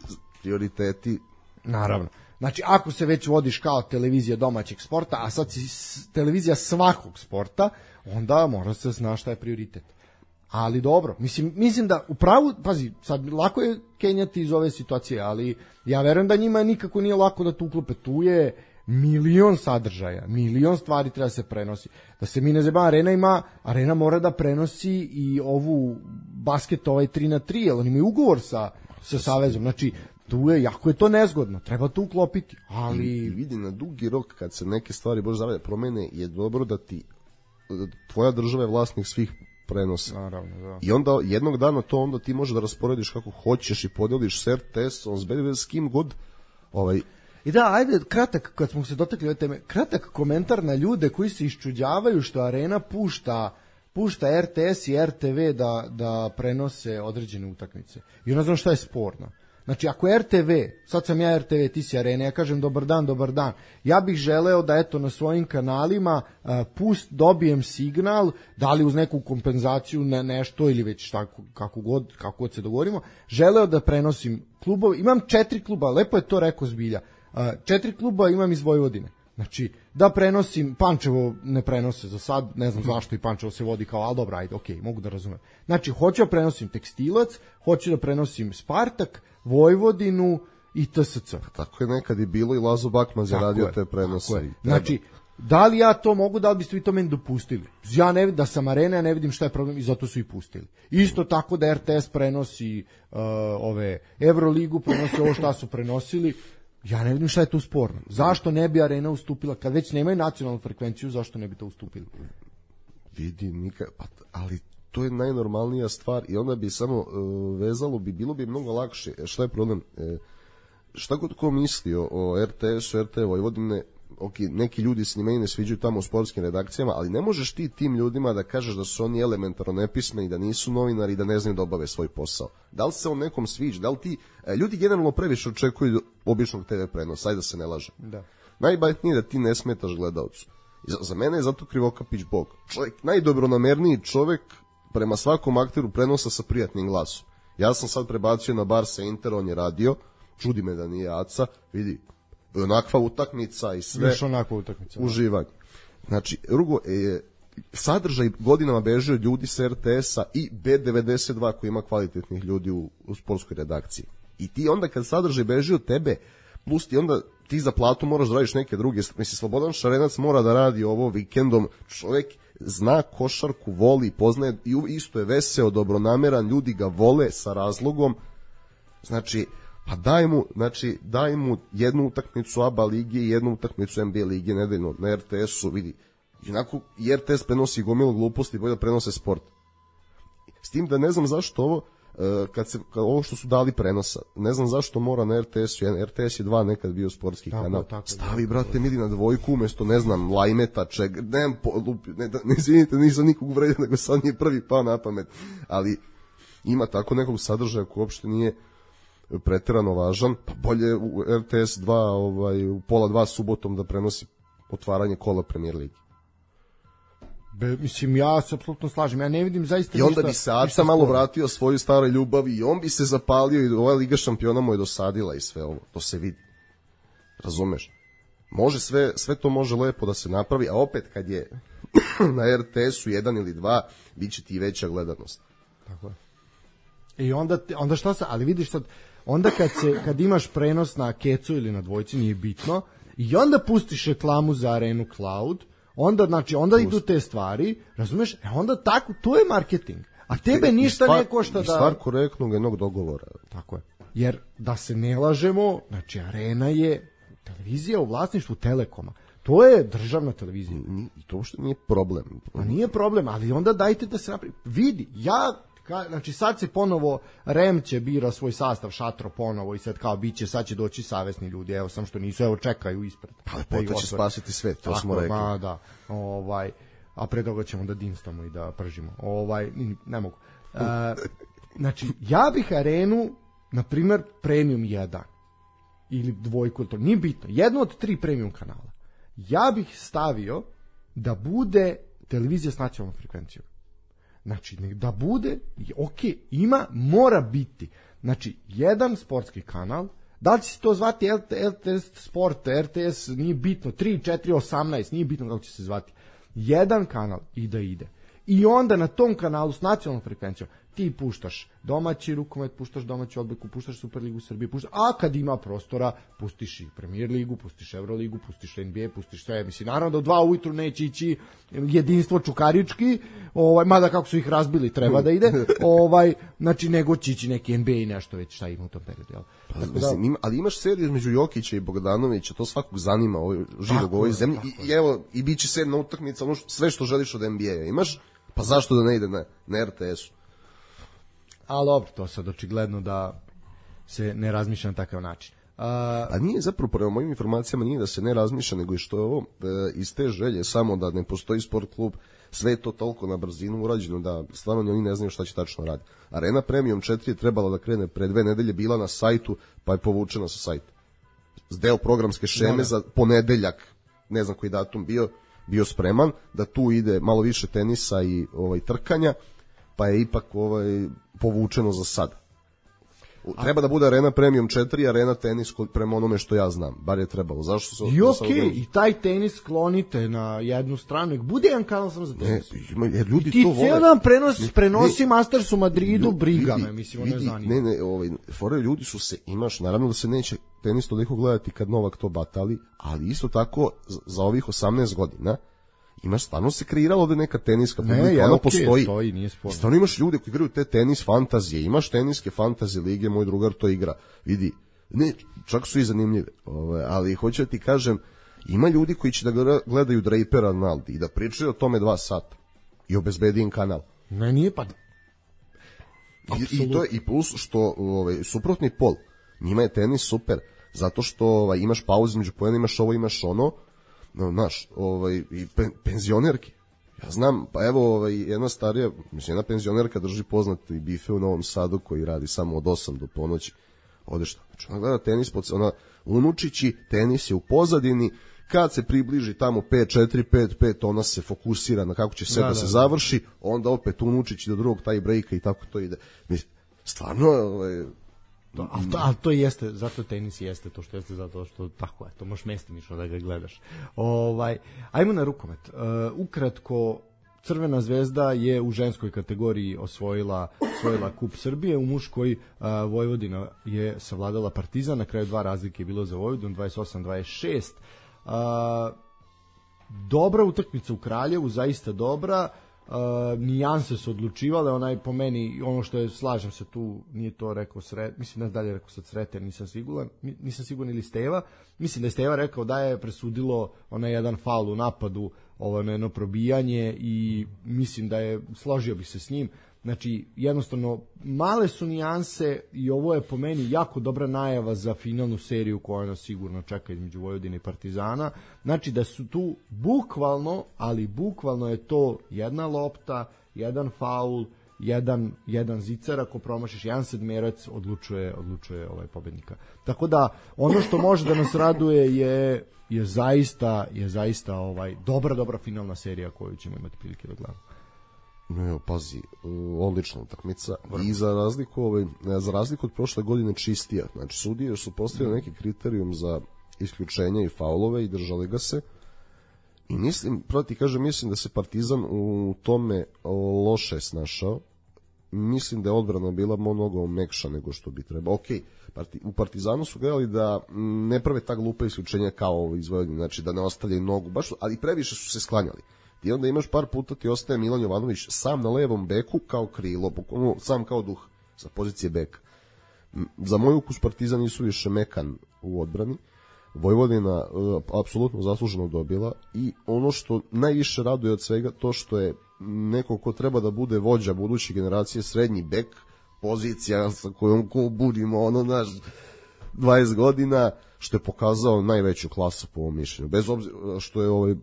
prioriteti. Naravno. Znači, ako se već vodiš kao televizija domaćeg sporta, a sad si televizija svakog sporta, onda mora se zna šta je prioritet. Ali dobro, mislim, mislim da u pravu, pazi, sad lako je kenjati iz ove situacije, ali ja verujem da njima nikako nije lako da tu uklope. Tu je milion sadržaja, milion stvari treba se prenosi. Da se mi ne zeba, Arena ima, Arena mora da prenosi i ovu basket ovaj tri na tri, jer oni imaju ugovor sa, sa Savezom, znači tu je, jako je to nezgodno, treba to uklopiti, ali... I, i vidi, na dugi rok, kad se neke stvari, bože zavlja, promene, je dobro da ti, tvoja država je vlasnik svih prenosa. Naravno, da. I onda, jednog dana to onda ti možeš da rasporediš kako hoćeš i podeliš s er te esom, s kim god, ovaj... I da, ajde, kratak, kad smo se dotakli ove teme, kratak komentar na ljude koji se iščuđavaju što Arena pušta pušta er te es i er te ve da, da prenose određene utakmice. I ne znam šta je sporno. Znači, ako er te ve, sad sam ja er te ve, ti si Arena, ja kažem dobar dan, dobar dan, ja bih želeo da eto na svojim kanalima uh, pust, dobijem signal, da li uz neku kompenzaciju na nešto ili već šta, kako god, kako god se dogovorimo, želeo da prenosim klubove, imam četiri kluba, lepo je to rekao Zbilja, uh, četiri kluba imam iz Vojvodine. Znači, da prenosim, Pančevo ne prenose za sad, ne znam zašto i Pančevo se vodi kao, ali dobro, ajde, okej, okay, mogu da razumem. Znači, hoću da prenosim Tekstilac, hoću da prenosim Spartak, Vojvodinu i te se ce. Tako je nekad i bilo i Lazo Bakman zaradio te prenose. Znači, da li ja to mogu, da li biste vi to meni dopustili? Ja ne vidim da sam Arena, ja ne vidim šta je problem i zato su i pustili. Isto tako da er te es prenosi uh, ove Euroligu, prenosi ovo šta su prenosili. Ja ne vidim šta je tu sporno. Zašto ne bi Arena ustupila? Kad već nemaju nacionalnu frekvenciju, zašto ne bi to ustupili? Vidi, nikad, ali to je najnormalnija stvar i onda bi samo uh, vezalo bi, bilo bi mnogo lakše. Šta je problem? E, šta god ko misli o, o er te esu, er te Vojvodine, ok, neki ljudi se njima i ne sviđaju tamo u sportskim redakcijama, ali ne možeš ti tim ljudima da kažeš da su oni elementarno nepismeni, da nisu novinari i da ne znaju da obave svoj posao. Da li se on nekom sviđa? Da li ti, e, ljudi generalno previše očekuju običnog te ve prenosa, ajde da se ne laže. Da. Najbitnije je da ti ne smetaš gledaocu. Za, za mene je zato Krivokapić bog. Čovjek, najdobronamerniji čovjek prema svakom akteru prenosa sa prijatnim glasom. Ja sam sad prebacio na bar sa Inter, on je radio, čudi me da nije Aca, vidi, onakva utakmica i sve. Još onakva utakmica. Uživanje. Znači, drugo, e, sadržaj godinama beži od ljudi sa er te esa i be devedeset dva koji ima kvalitetnih ljudi u, u sportskoj redakciji. I ti onda kad sadržaj beži od tebe, plus ti onda ti za platu moraš da radiš neke druge. Mislim, Slobodan Šarenac mora da radi ovo vikendom. Čovjek zna košarku, voli, poznaje, i isto je veseo, dobronameran, ljudi ga vole sa razlogom. Znači, pa daj mu, znači, daj mu jednu utakmicu A B A lige i jednu utakmicu en be a lige nedeljno na er te esu, vidi. Jednako i er te es prenosi gomilu gluposti, bolje da prenose sport. S tim da ne znam zašto ovo, kad se, kad ovo što su dali prenosa, ne znam zašto mora na er te esu, er te es je dva nekad bio sportski tako, kanal. Tako, stavi, brate, mili na dvojku umesto, ne znam, Lajmeta, čeg, ne, ne, ne izvinite, nisam nikog uvredio, nego sad nije prvi pao na pamet, ali ima tako nekog sadržaja koji uopšte nije preterano važan, pa bolje u er te es dva, ovaj, u pola dva subotom da prenosi otvaranje kola Premier Ligi. Be, mislim, ja se apsolutno slažem, ja ne vidim zaista i onda ništa, bi se Aca malo vratio svoju staroj ljubavi i on bi se zapalio i ova Liga šampiona mu je dosadila i sve ovo, to se vidi, razumeš, može sve, sve to može lepo da se napravi, a opet kad je na er te esu jedan ili dva, bit će ti veća gledanost. Tako je. I onda, onda šta se, ali vidiš sad, onda kad, se, kad imaš prenos na kecu ili na dvojci, nije bitno, i onda pustiš reklamu za Arenu Cloud, onda, znači, onda Pust. idu te stvari, razumeš, e onda tako, to je marketing, a tebe ništa stvar, ne košta da... Stvar korektnog jednog dogovora. Tako je, jer da se ne lažemo, znači, Arena je televizija u vlasništvu Telekoma, to je državna televizija. I to uopšte nije problem. A nije problem, ali onda dajte da se napravi. Vidi, ja... Ka, znači sad se ponovo R E M će bira svoj sastav, Šatro ponovo i sad kao biće, sad će doći savesni ljudi, evo sam što nisu, evo čekaju ispred. Pa lepota će spasiti svet, to tako, smo rekli. Ma, da, ovaj, a pre toga ćemo da dinstamo i da pržimo. Ovaj, ne mogu. E, znači, ja bih Arenu, na primer, premium jedan ili dvojku, to nije bitno, jedno od tri premium kanala. Ja bih stavio da bude televizija s nacionalnom frekvencijom. Znači, da bude, ok, ima, mora biti. Znači, jedan sportski kanal, da li će se to zvati el te es Sport, er te es, nije bitno, tri, četiri, osamnaest, nije bitno kako će se zvati. Jedan kanal i da ide. I onda na tom kanalu s nacionalnom frekvencijom ti puštaš domaći rukomet, puštaš domaću odbojku, puštaš Superligu Srbije, puštaš, a kad ima prostora, pustiš i Premier ligu, pustiš Euroligu, pustiš en be a, pustiš sve. Mislim, naravno da u dva ujutru neće ići jedinstvo čukarički, ovaj, mada kako su ih razbili, treba da ide, ovaj, znači, nego će ići neki en be a i nešto već šta ima u tom periodu. Jel? Pa, mislim, ima, ali imaš seriju između Jokića i Bogdanovića, to svakog zanima ovaj, živog u ovoj zemlji, i, i evo, i bit će sedna utakmica, ono sve što želiš od en be a imaš, pa zašto da ne ide na, na er te esu? Ali dobro, to sad očigledno da se ne razmišlja na takav način. A, A nije zapravo, prema mojim informacijama, nije da se ne razmišlja, nego i što je ovo e, iz te želje, samo da ne postoji sport klub, sve je to toliko na brzinu urađeno da stvarno oni ne znaju šta će tačno raditi. Arena Premium četiri je trebala da krene pre dve nedelje, bila na sajtu, pa je povučena sa sajta. Deo programske šeme da, za ponedeljak, ne znam koji datum bio, bio spreman, da tu ide malo više tenisa i ovaj trkanja, pa je ipak ovaj povučeno za sad. Treba da bude Arena Premium četiri, Arena tenis prema onome što ja znam. Bar je trebalo. Zašto se... I okej, okay, i taj tenis sklonite na jednu stranu. Bude jedan kanal samo za tenis. Ne, ima, jer ljudi I ti to vole. cijel dan prenos, ne, prenosi ne, Masters u Madridu, ljudi, briga me, mislim, ono je zanima. Ne, ne, ovaj, fore, ljudi su se, imaš, naravno da se neće tenis toliko gledati kad Novak to batali, ali isto tako za ovih osamnaest godina imaš, stvarno se kreiralo ovde neka teniska publika, ne, ona okay, postoji. Stoji, nije sporno. Stvarno imaš ljude koji igraju te tenis fantazije, imaš teniske fantazije lige, moj drugar to igra. Vidi, ne, čak su i zanimljive, ove, ali hoću da ti kažem, ima ljudi koji će da gledaju Drapera na Aldi i da pričaju o tome dva sata i obezbedi im kanal. Ne, nije pa... I, i to je i plus što ovaj, suprotni pol, njima je tenis super, zato što ovaj, imaš pauzu među poena, imaš ovo, imaš ono, no, znaš, ovaj, i pe, penzionerke. Ja znam, pa evo ovaj, jedna starija, mislim, jedna penzionerka drži poznati bife u Novom Sadu koji radi samo od osam do ponoći. Ode što? Znači, ona gleda tenis, ona unučići, tenis je u pozadini, kad se približi tamo pet četiri pet pet, ona se fokusira na kako će sve da, da se da, završi, onda opet unučići do drugog taj breaka i tako to ide. Mislim, stvarno... Ovaj, To, ali, to, ali to jeste, zato tenis jeste to što jeste, zato što tako je, to možeš mestimično da ga gledaš. Ovaj, ajmo na rukomet. Uh, ukratko, Crvena zvezda je u ženskoj kategoriji osvojila, osvojila kup Srbije, u muškoj uh, Vojvodina je savladala Partizan, na kraju dva razlike je bilo za Vojvodinu, dvadeset osam dvadeset šest. Uh, dobra utakmica u Kraljevu, zaista dobra. Uh, nijanse su odlučivale, onaj po meni, ono što je, slažem se tu, nije to rekao Sret, mislim da dalje rekao sad Sreten, nisam siguran, nisam siguran ili Steva, mislim da je Steva rekao da je presudilo onaj jedan faul u napadu, ovo jedno probijanje i mislim da je, složio bih se s njim, znači jednostavno male su nijanse i ovo je po meni jako dobra najava za finalnu seriju koja nas sigurno čeka između Vojvodine i Partizana, znači da su tu bukvalno, ali bukvalno je to jedna lopta, jedan faul, jedan, jedan zicar, ako promašiš jedan sedmerac, odlučuje, odlučuje ovaj pobednika. Tako da ono što može da nas raduje je je zaista je zaista ovaj dobra dobra finalna serija koju ćemo imati prilike da gledamo. No, pazi, odlična utakmica i za razliku, ovaj, za razliku od prošle godine čistija. Znači, sudije su postavili neki kriterijum za isključenje i faulove i držali ga se. I mislim, proti kažem, mislim da se Partizan u tome loše snašao. Mislim da je odbrana bila mnogo mekša nego što bi trebao. Ok, parti, u Partizanu su gledali da ne prave ta glupa isključenja kao iz Vojvodine, znači da ne ostavljaju nogu, baš, ali previše su se sklanjali. I onda imaš par puta ti ostaje Milan Jovanović sam na levom beku kao krilo, sam kao duh sa pozicije beka. Za moj ukus Partizan nisu više mekan u odbrani. Vojvodina uh, apsolutno zasluženo dobila i ono što najviše raduje od svega to što je neko ko treba da bude vođa buduće generacije, srednji bek, pozicija sa kojom ko budimo ono naš dvadeset godina, što je pokazao najveću klasu po ovom mišljenju. Bez obzira što je ovaj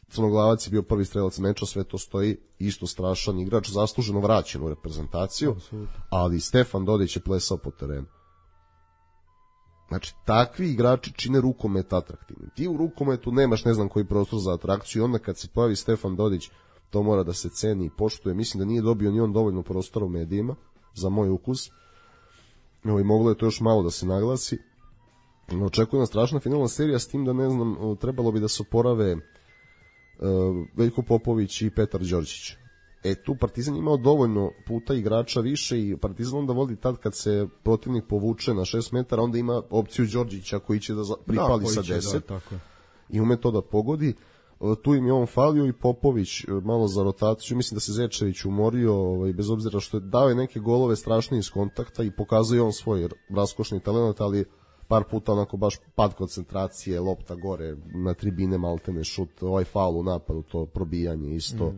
Crnoglavac je bio prvi strelac meča, sve to stoji, isto strašan igrač, zasluženo vraćen u reprezentaciju, ali Stefan Dodić je plesao po terenu. Znači, takvi igrači čine rukomet atraktivnim. Ti u rukometu nemaš ne znam koji prostor za atrakciju i onda kad se pojavi Stefan Dodić, to mora da se ceni i poštuje. Mislim da nije dobio ni on dovoljno prostora u medijima, za moj ukus. I moglo je to još malo da se naglasi. Očekuje nas strašna finalna serija, s tim da ne znam, trebalo bi da se oporave Veljko Popović i Petar Đorđić. E tu Partizan imao dovoljno puta igrača više i Partizan onda vodi tad kad se protivnik povuče na šest metara, onda ima opciju Đorđića koji će da pripali da, sa deset da, i ume to da pogodi. Tu im je on falio i Popović malo za rotaciju, mislim da se Zečević umorio, ovaj, bez obzira što je dao je neke golove strašne iz kontakta i pokazuje on svoj raskošni talent, ali par puta onako baš pad koncentracije, lopta gore na tribine, maltene šut, ovaj faul u napadu, to probijanje isto.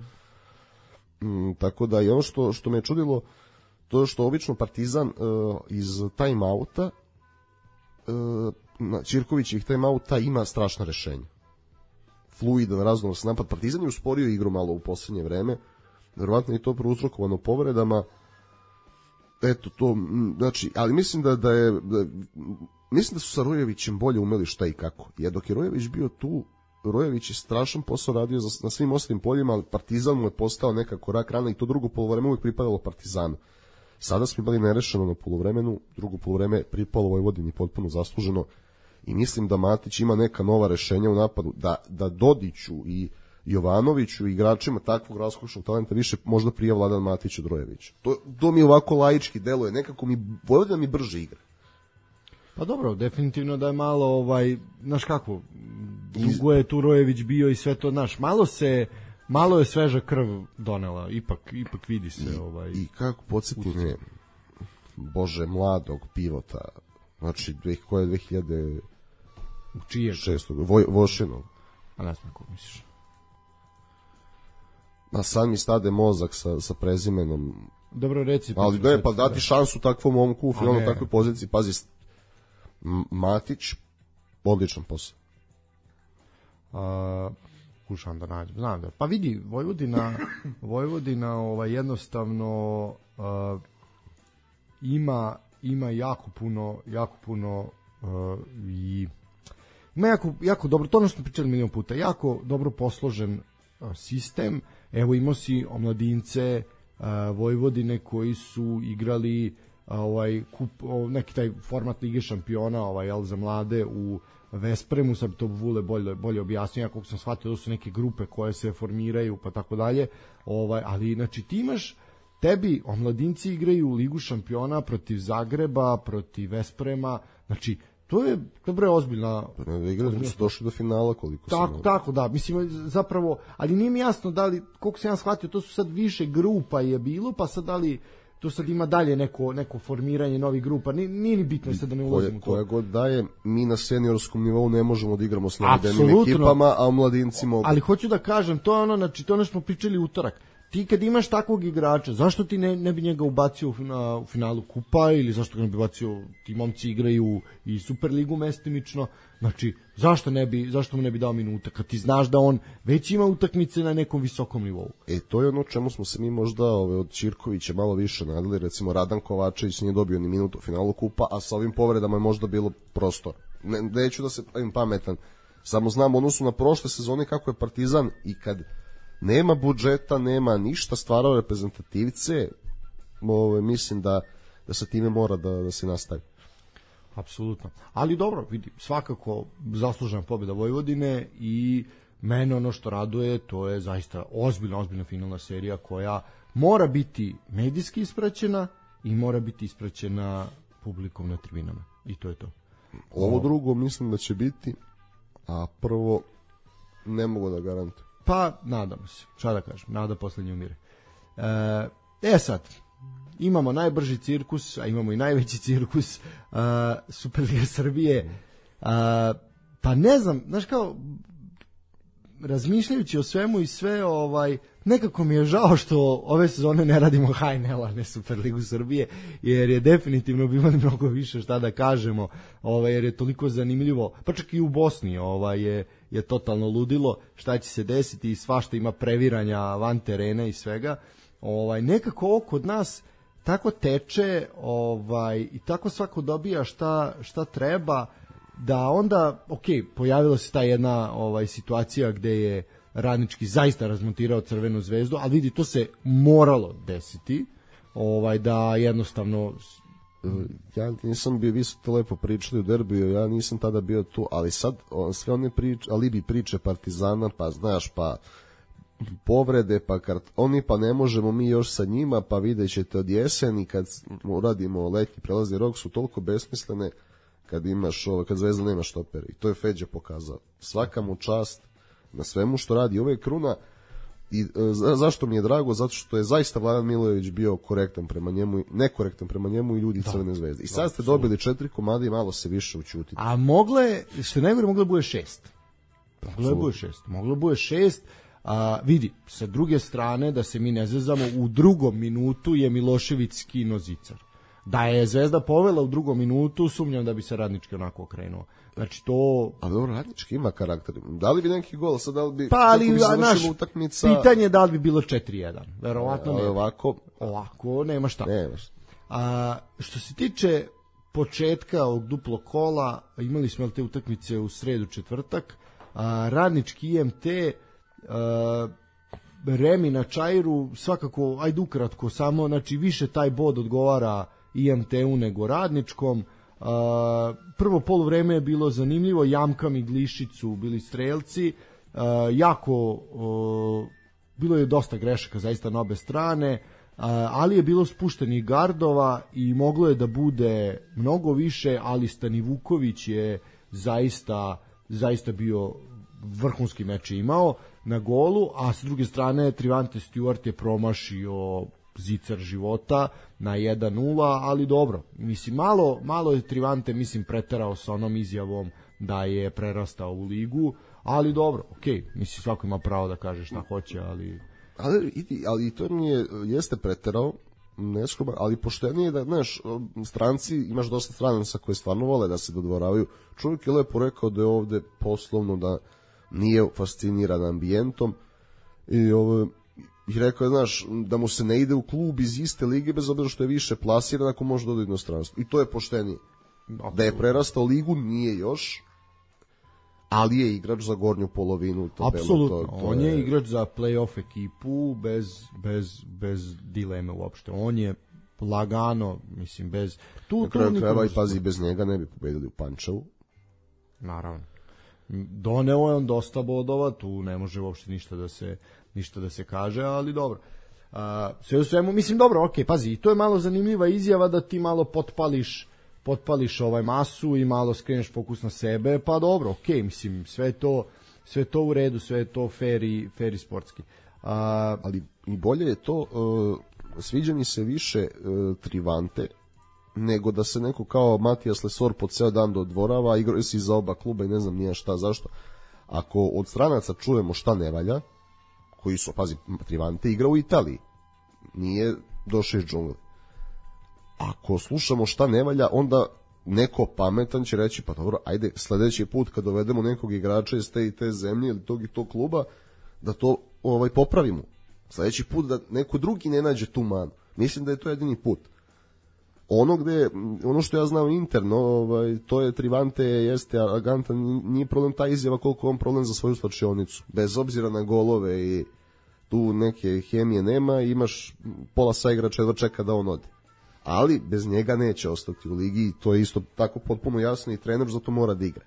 Mm. Mm, tako da i ono što, što me je čudilo, to je što obično Partizan uh, iz time-outa, uh, na Ćirkovićih time-outa ima strašna rešenja. Fluidan, raznovrstan napad. Partizan je usporio igru malo u poslednje vreme, verovatno je to prouzrokovano povredama. Eto to, znači, ali mislim da, da je da, mislim da su sa Rojevićem bolje umeli šta i kako. Jer dok je Rojević bio tu, Rojević je strašan posao radio za, na svim ostalim poljima, ali Partizan mu je postao nekako rak rana i to drugo poluvreme uvijek pripadalo Partizanu. Sada smo imali nerešeno na poluvremenu, drugo poluvreme pripalo Vojvodini potpuno zasluženo i mislim da Matić ima neka nova rešenja u napadu, da, da Dodiću i Jovanoviću i igračima takvog raskošnog talenta više možda prije Vladan Matić od Rojevića. To, to mi ovako laički deluje, nekako mi Vojvodina mi brže igra. Pa dobro, definitivno da je malo, ovaj, znaš kako, dugo je tu Rojević bio i sve to, znaš, malo se, malo je sveža krv donela, ipak, ipak vidi se. I, ovaj, i kako podsjeti me, Bože, mladog pivota, znači, koje je dve hiljade šestog. Voj, Vošinov. A ne znam kako misliš. a sad mi stade mozak sa, sa prezimenom. Dobro, reci. Ali da je, pa dati šansu takvom momku u finalno takvoj poziciji. Pazi, Matić, odličan posao. Uh, kušam da nađem, znam da. Pa vidi, Vojvodina, Vojvodina ovaj, jednostavno uh, ima, ima jako puno, jako puno uh, i ima jako, jako dobro, to ono što smo pričali milion puta, jako dobro posložen uh, sistem. Evo imao si omladince uh, Vojvodine koji su igrali uh, ovaj kup, uh, neki taj format Lige šampiona, ovaj jel, za mlade u Vespremu, sad to Vule bolje, bolje objasnio, kako sam shvatio, to su neke grupe koje se formiraju pa tako dalje, ovaj, ali znači ti imaš, tebi omladinci igraju Ligu šampiona protiv Zagreba, protiv Vesprema, znači to je dobro je ozbiljna. Igrali su došli do finala koliko tako, sam. Tako da, mislim zapravo, ali nije mi jasno da li, koliko sam ja shvatio, to su sad više grupa je bilo, pa sad da li to sad ima dalje neko, neko formiranje novih grupa, nije, nije ni bitno sad da ne ulazimo u to. Koja god daje, mi na seniorskom nivou ne možemo da igramo s navedenim ekipama, a mladinci mogu. Ali hoću da kažem, to je ono, znači to ono što smo pričali utorak. Ti kad imaš takvog igrača, zašto ti ne, ne bi njega ubacio u, na, u finalu kupa ili zašto ga ne bi ubacio, ti momci igraju i Superligu mestimično, znači zašto ne bi, zašto mu ne bi dao minuta kad ti znaš da on već ima utakmice na nekom visokom nivou. E to je ono čemu smo se mi možda ove, od Ćirkovića malo više nadali, recimo Radan Kovačević nije dobio ni minutu u finalu kupa, a sa ovim povredama je možda bilo prostor. Ne, neću da se pravim pametan, samo znam odnosu na prošle sezone kako je Partizan i kad nema budžeta, nema ništa, stvarao reprezentativce, ove, mislim da, da sa time mora da, da se nastavi. Apsolutno. Ali dobro, vidi, svakako zaslužena pobjeda Vojvodine i mene ono što raduje, to je zaista ozbiljna, ozbiljna finalna serija koja mora biti medijski ispraćena i mora biti ispraćena publikom na tribinama. I to je to. Ovo drugo mislim da će biti, a prvo ne mogu da garantujem. Pa, nadamo se. Šta da kažem? Nada poslednji umire. E, e sad, imamo najbrži cirkus, a imamo i najveći cirkus uh, Superliga Srbije. Uh, pa ne znam, znaš kao, razmišljajući o svemu i sve, ovaj, nekako mi je žao što ove sezone ne radimo H N L-a, ne Superligu Srbije, jer je definitivno bi imali mnogo više šta da kažemo, ovaj, jer je toliko zanimljivo, pa čak i u Bosni ovaj, je, je totalno ludilo šta će se desiti i svašta ima previranja van terena i svega. Ovaj, nekako ovo kod nas tako teče ovaj, i tako svako dobija šta, šta treba, da onda, ok, pojavila se ta jedna ovaj, situacija gde je Radnički zaista razmontirao Crvenu zvezdu, ali vidi, to se moralo desiti, ovaj, da jednostavno... Ja nisam bio, vi su to lepo pričali u derbiju, ja nisam tada bio tu, ali sad on, sve one priče, alibi priče Partizana, pa znaš, pa povrede, pa kart, oni pa ne možemo mi još sa njima, pa vidjet ćete od jeseni kad uradimo letnji prelazni rok, su toliko besmislene kad imaš ovo, kad Zvezda nema štopera. I to je Feđa pokazao. Svaka mu čast na svemu što radi. Ovo je kruna i e, zašto mi je drago? Zato što je zaista Vladan Milojević bio korektan prema njemu, nekorektan prema njemu i ljudi da, Crvene zvezde. I sad da, ste dobili četiri komade i malo se više učutiti. A mogle, što je najgore, moglo bude šest. Moglo bude šest. Moglo bude šest. A, vidi, sa druge strane, da se mi ne zezamo, u drugom minutu je Milošević skinuo zicar. Da je Zvezda povela u drugom minutu, sumnjam da bi se Radnički onako okrenuo. Znači to... A dobro, Radnički ima karakter. Da li bi neki gol, sad da li bi... Pa ali, bi naš, utakmica... pitanje je da li bi bilo četiri jedan. Verovatno ne. Ovako... Ovako, nema šta. Nema šta. A, što se tiče početka ovog duplo kola, imali smo te utakmice u sredu, četvrtak, a, Radnički I M T... A, Remi na Čairu, svakako, ajde ukratko, samo, znači više taj bod odgovara I M T-u nego Radničkom. Uh, prvo poluvreme je bilo zanimljivo, Jamkam i Glišić su bili strelci, uh, jako uh, bilo je dosta grešaka zaista na obe strane, uh, ali je bilo spuštenih gardova i moglo je da bude mnogo više, ali Stani Vuković je zaista, zaista bio vrhunski meč imao na golu, a s druge strane Trivante Stewart je promašio zicar života na jedan nula, ali dobro, mislim, malo, malo je Trivante, mislim, preterao sa onom izjavom da je prerastao u ligu, ali dobro, okej, okay, mislim, svako ima pravo da kaže šta hoće, ali... Ali, ali to mi je, jeste preterao, neskroban, ali poštenije da, znaš, stranci, imaš dosta stranaca koji stvarno vole da se dodvoravaju. Čovjek je lepo rekao da je ovde poslovno, da nije fasciniran ambijentom i ovo, i rekao je, znaš, da mu se ne ide u klub iz iste lige bez obzira što je više plasiran ako može da ode u inostranstvo. I to je poštenije. Da je prerastao ligu, nije još, ali je igrač za gornju polovinu. Apsolutno, to, to on je... je igrač za play-off ekipu bez, bez, bez dileme uopšte. On je lagano, mislim, bez... Tu, na kraju krajeva i pazi, bez njega ne bi pobedili u Pančevu. Naravno. Doneo je on dosta bodova, tu ne može uopšte ništa da se, ništa da se kaže, ali dobro. Uh, sve u svemu, mislim, dobro, ok, pazi, to je malo zanimljiva izjava da ti malo potpališ potpališ ovaj masu i malo skreneš fokus na sebe, pa dobro, okej, okay, mislim, sve to, sve to u redu, sve to fair i, fair i sportski. A, ali i bolje je to, uh, sviđa mi se više uh, Trivante, nego da se neko kao Matijas Lesor po ceo dan dodvorava, igraju si za oba kluba i ne znam nije šta, zašto. Ako od stranaca čujemo šta ne valja, koji su, pazi, Trivante igra u Italiji, nije došao iz džungle. Ako slušamo šta ne valja, onda neko pametan će reći, pa dobro, ajde sledeći put kad dovedemo nekog igrača iz te i te zemlje ili tog i tog kluba, da to ovaj popravimo. Sledeći put da neko drugi ne nađe tu manu. Mislim da je to jedini put. Ono gde, ono što ja znam interno, ovaj, to je Trivante, jeste agantan, nije problem ta izjava koliko on problem za svoju slačionicu. Bez obzira na golove i tu neke hemije nema, imaš pola sa igrača jedva čeka da on ode. Ali bez njega neće ostati u ligi i to je isto tako potpuno jasno i trener zato mora da igra.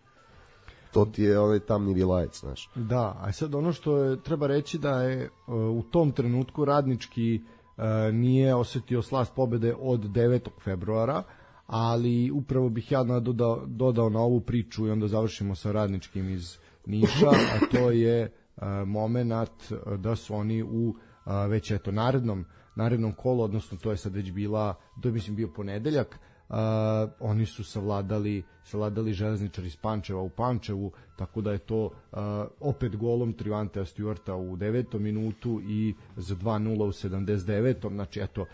To ti je ovaj tamni vilajec, znaš. Da, a sad ono što je, treba reći da je uh, u tom trenutku Radnički uh, nije osetio slast pobede od devetog februara, ali upravo bih ja dodao, dodao na ovu priču i onda završimo sa Radničkim iz Niša, a to je uh, moment da su oni u uh, već eto narednom narednom kolu, odnosno to je sad već bila, to je mislim bio ponedeljak, uh, oni su savladali, savladali Železničar iz Pančeva u Pančevu, tako da je to uh, opet golom Trivantea Stewarta u devetom minutu i za dva nula u sedamdeset devetom Znači, eto, uh,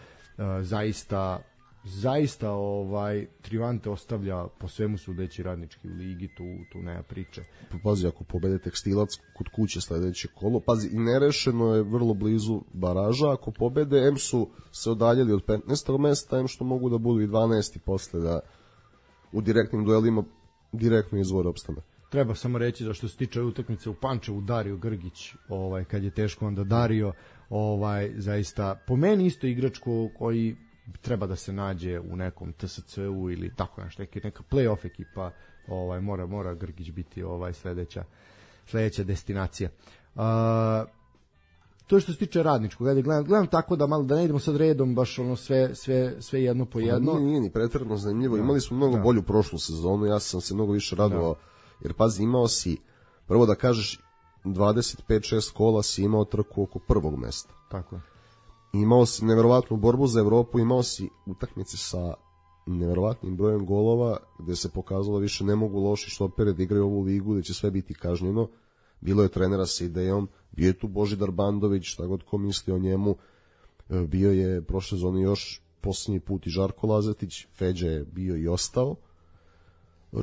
zaista zaista ovaj Trivante ostavlja po svemu sudeći Radnički u ligi, tu, tu nema priče. Pazi, ako pobede Tekstilac kod kuće sledeće kolo, pazi, i nerešeno je vrlo blizu baraža, ako pobede, em su se odaljeli od petnaestog mesta, em što mogu da budu i dvanaesti posle, da u direktnim duelima direktno izvore opstane. Treba samo reći da što se tiče utakmice u Pančevu, Dario Grgić, ovaj, kad je teško onda Dario, ovaj, zaista, po meni isto igrač koji treba da se nađe u nekom T S C-u ili tako nešto, neka play-off ekipa, ovaj mora mora Grgić biti ovaj sledeća sledeća destinacija. Uh, to je što se tiče Radničkog, ajde gledam, gledam tako da malo da ne idemo sad redom baš ono sve sve sve jedno po jedno. Nije, nije ni pretjerano zanimljivo. Da. Imali smo mnogo da. bolju prošlu sezonu, ja sam se mnogo više radovao, da. jer pazi, imao si prvo da kažeš dvadeset pet šest kola si imao trku oko prvog mesta. Tako je. Imao si neverovatnu borbu za Evropu, imao si utakmice sa neverovatnim brojem golova, gde se pokazalo više ne mogu loši štoperi da igraju ovu ligu, da će sve biti kažnjeno. Bilo je trenera sa idejom, bio je tu Božidar Bandović, šta god ko misli o njemu, bio je prošle zone još posljednji put i Žarko Lazetić, Feđa je bio i ostao,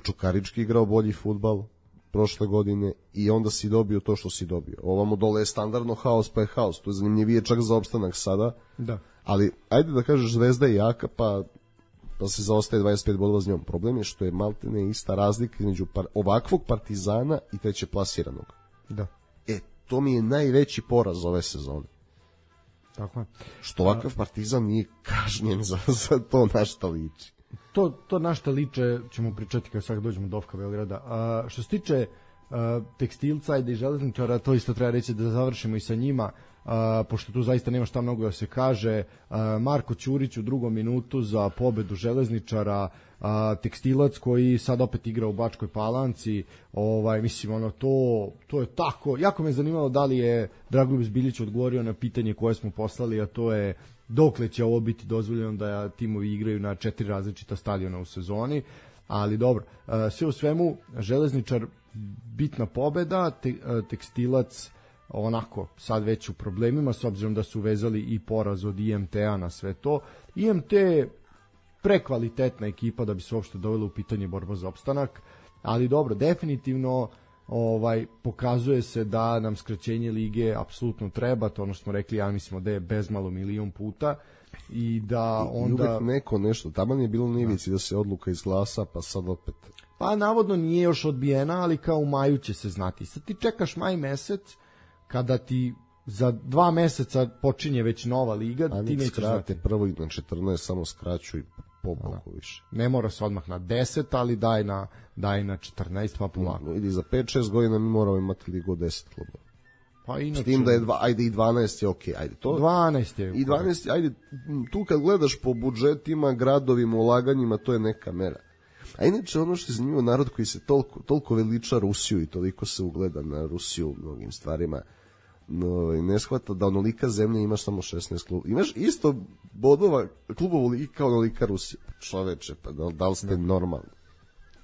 Čukarički igrao bolji fudbal prošle godine i onda si dobio to što si dobio. Ovamo dole je standardno haos pa je haos, to je zanimljivije čak za opstanak sada, da. Ali ajde da kažeš Zvezda je jaka pa, pa se zaostaje dvadeset pet bodova s njom. Problem je što je maltene ista razlika između par, ovakvog Partizana i treće plasiranog. Da. E, to mi je najveći poraz ove sezone. Tako je. Što ovakav Partizan nije kažnjen za, za to na šta liči. To, to na šta liče ćemo pričati kad sad dođemo do Ofka Beograda. A, što se tiče a, Tekstilca i Železničara, to isto treba reći da završimo i sa njima, a, pošto tu zaista nema šta mnogo da se kaže. A, Marko Ćurić u drugom minutu za pobedu Železničara, a, Tekstilac koji sad opet igra u Bačkoj Palanci, ovaj, mislim, ono, to, to je tako. Jako me zanimalo da li je Dragoljub Zbiljić odgovorio na pitanje koje smo poslali, a to je dokle će ovo biti dozvoljeno da timovi igraju na četiri različita stadiona u sezoni, ali dobro, sve u svemu Železničar bitna pobeda, te, Tekstilac onako sad već u problemima s obzirom da su vezali i poraz od I M T-a na sve to. I M T je prekvalitetna ekipa da bi se uopšte dovela u pitanje borba za opstanak, ali dobro, definitivno ovaj pokazuje se da nam skraćenje lige apsolutno treba, to ono što smo rekli, ja mislimo da je bezmalo milion puta i da onda... I uvek neko nešto, taman je bilo na ivici da se odluka izglasa, pa sad opet... Pa navodno nije još odbijena, ali kao u maju će se znati. Sad ti čekaš maj mesec, kada ti za dva meseca počinje već nova liga, a ti nećeš znati. Prvo i na četrnaest samo skraćuj po boku više. Ne mora se odmah na deset, ali daj na, daj na četrnaest, pa polako. No, ili za pet šest godina mi moramo imati ligu od deset klubova. Pa inače... S tim da je dva, ajde i dvanaest je okej, okay, ajde to. dvanaest je. I dvanaest, ajde, tu kad gledaš po budžetima, gradovima, ulaganjima, to je neka mera. A inače ono što je zanimljivo, narod koji se toliko, toliko veliča Rusiju i toliko se ugleda na Rusiju u mnogim stvarima, no, ne shvata da onolika zemlja imaš samo šesnaest klubova. Imaš isto bodova klubova u ligi kao onolika Rusija. Čoveče, pa da, da li ste da. normalni?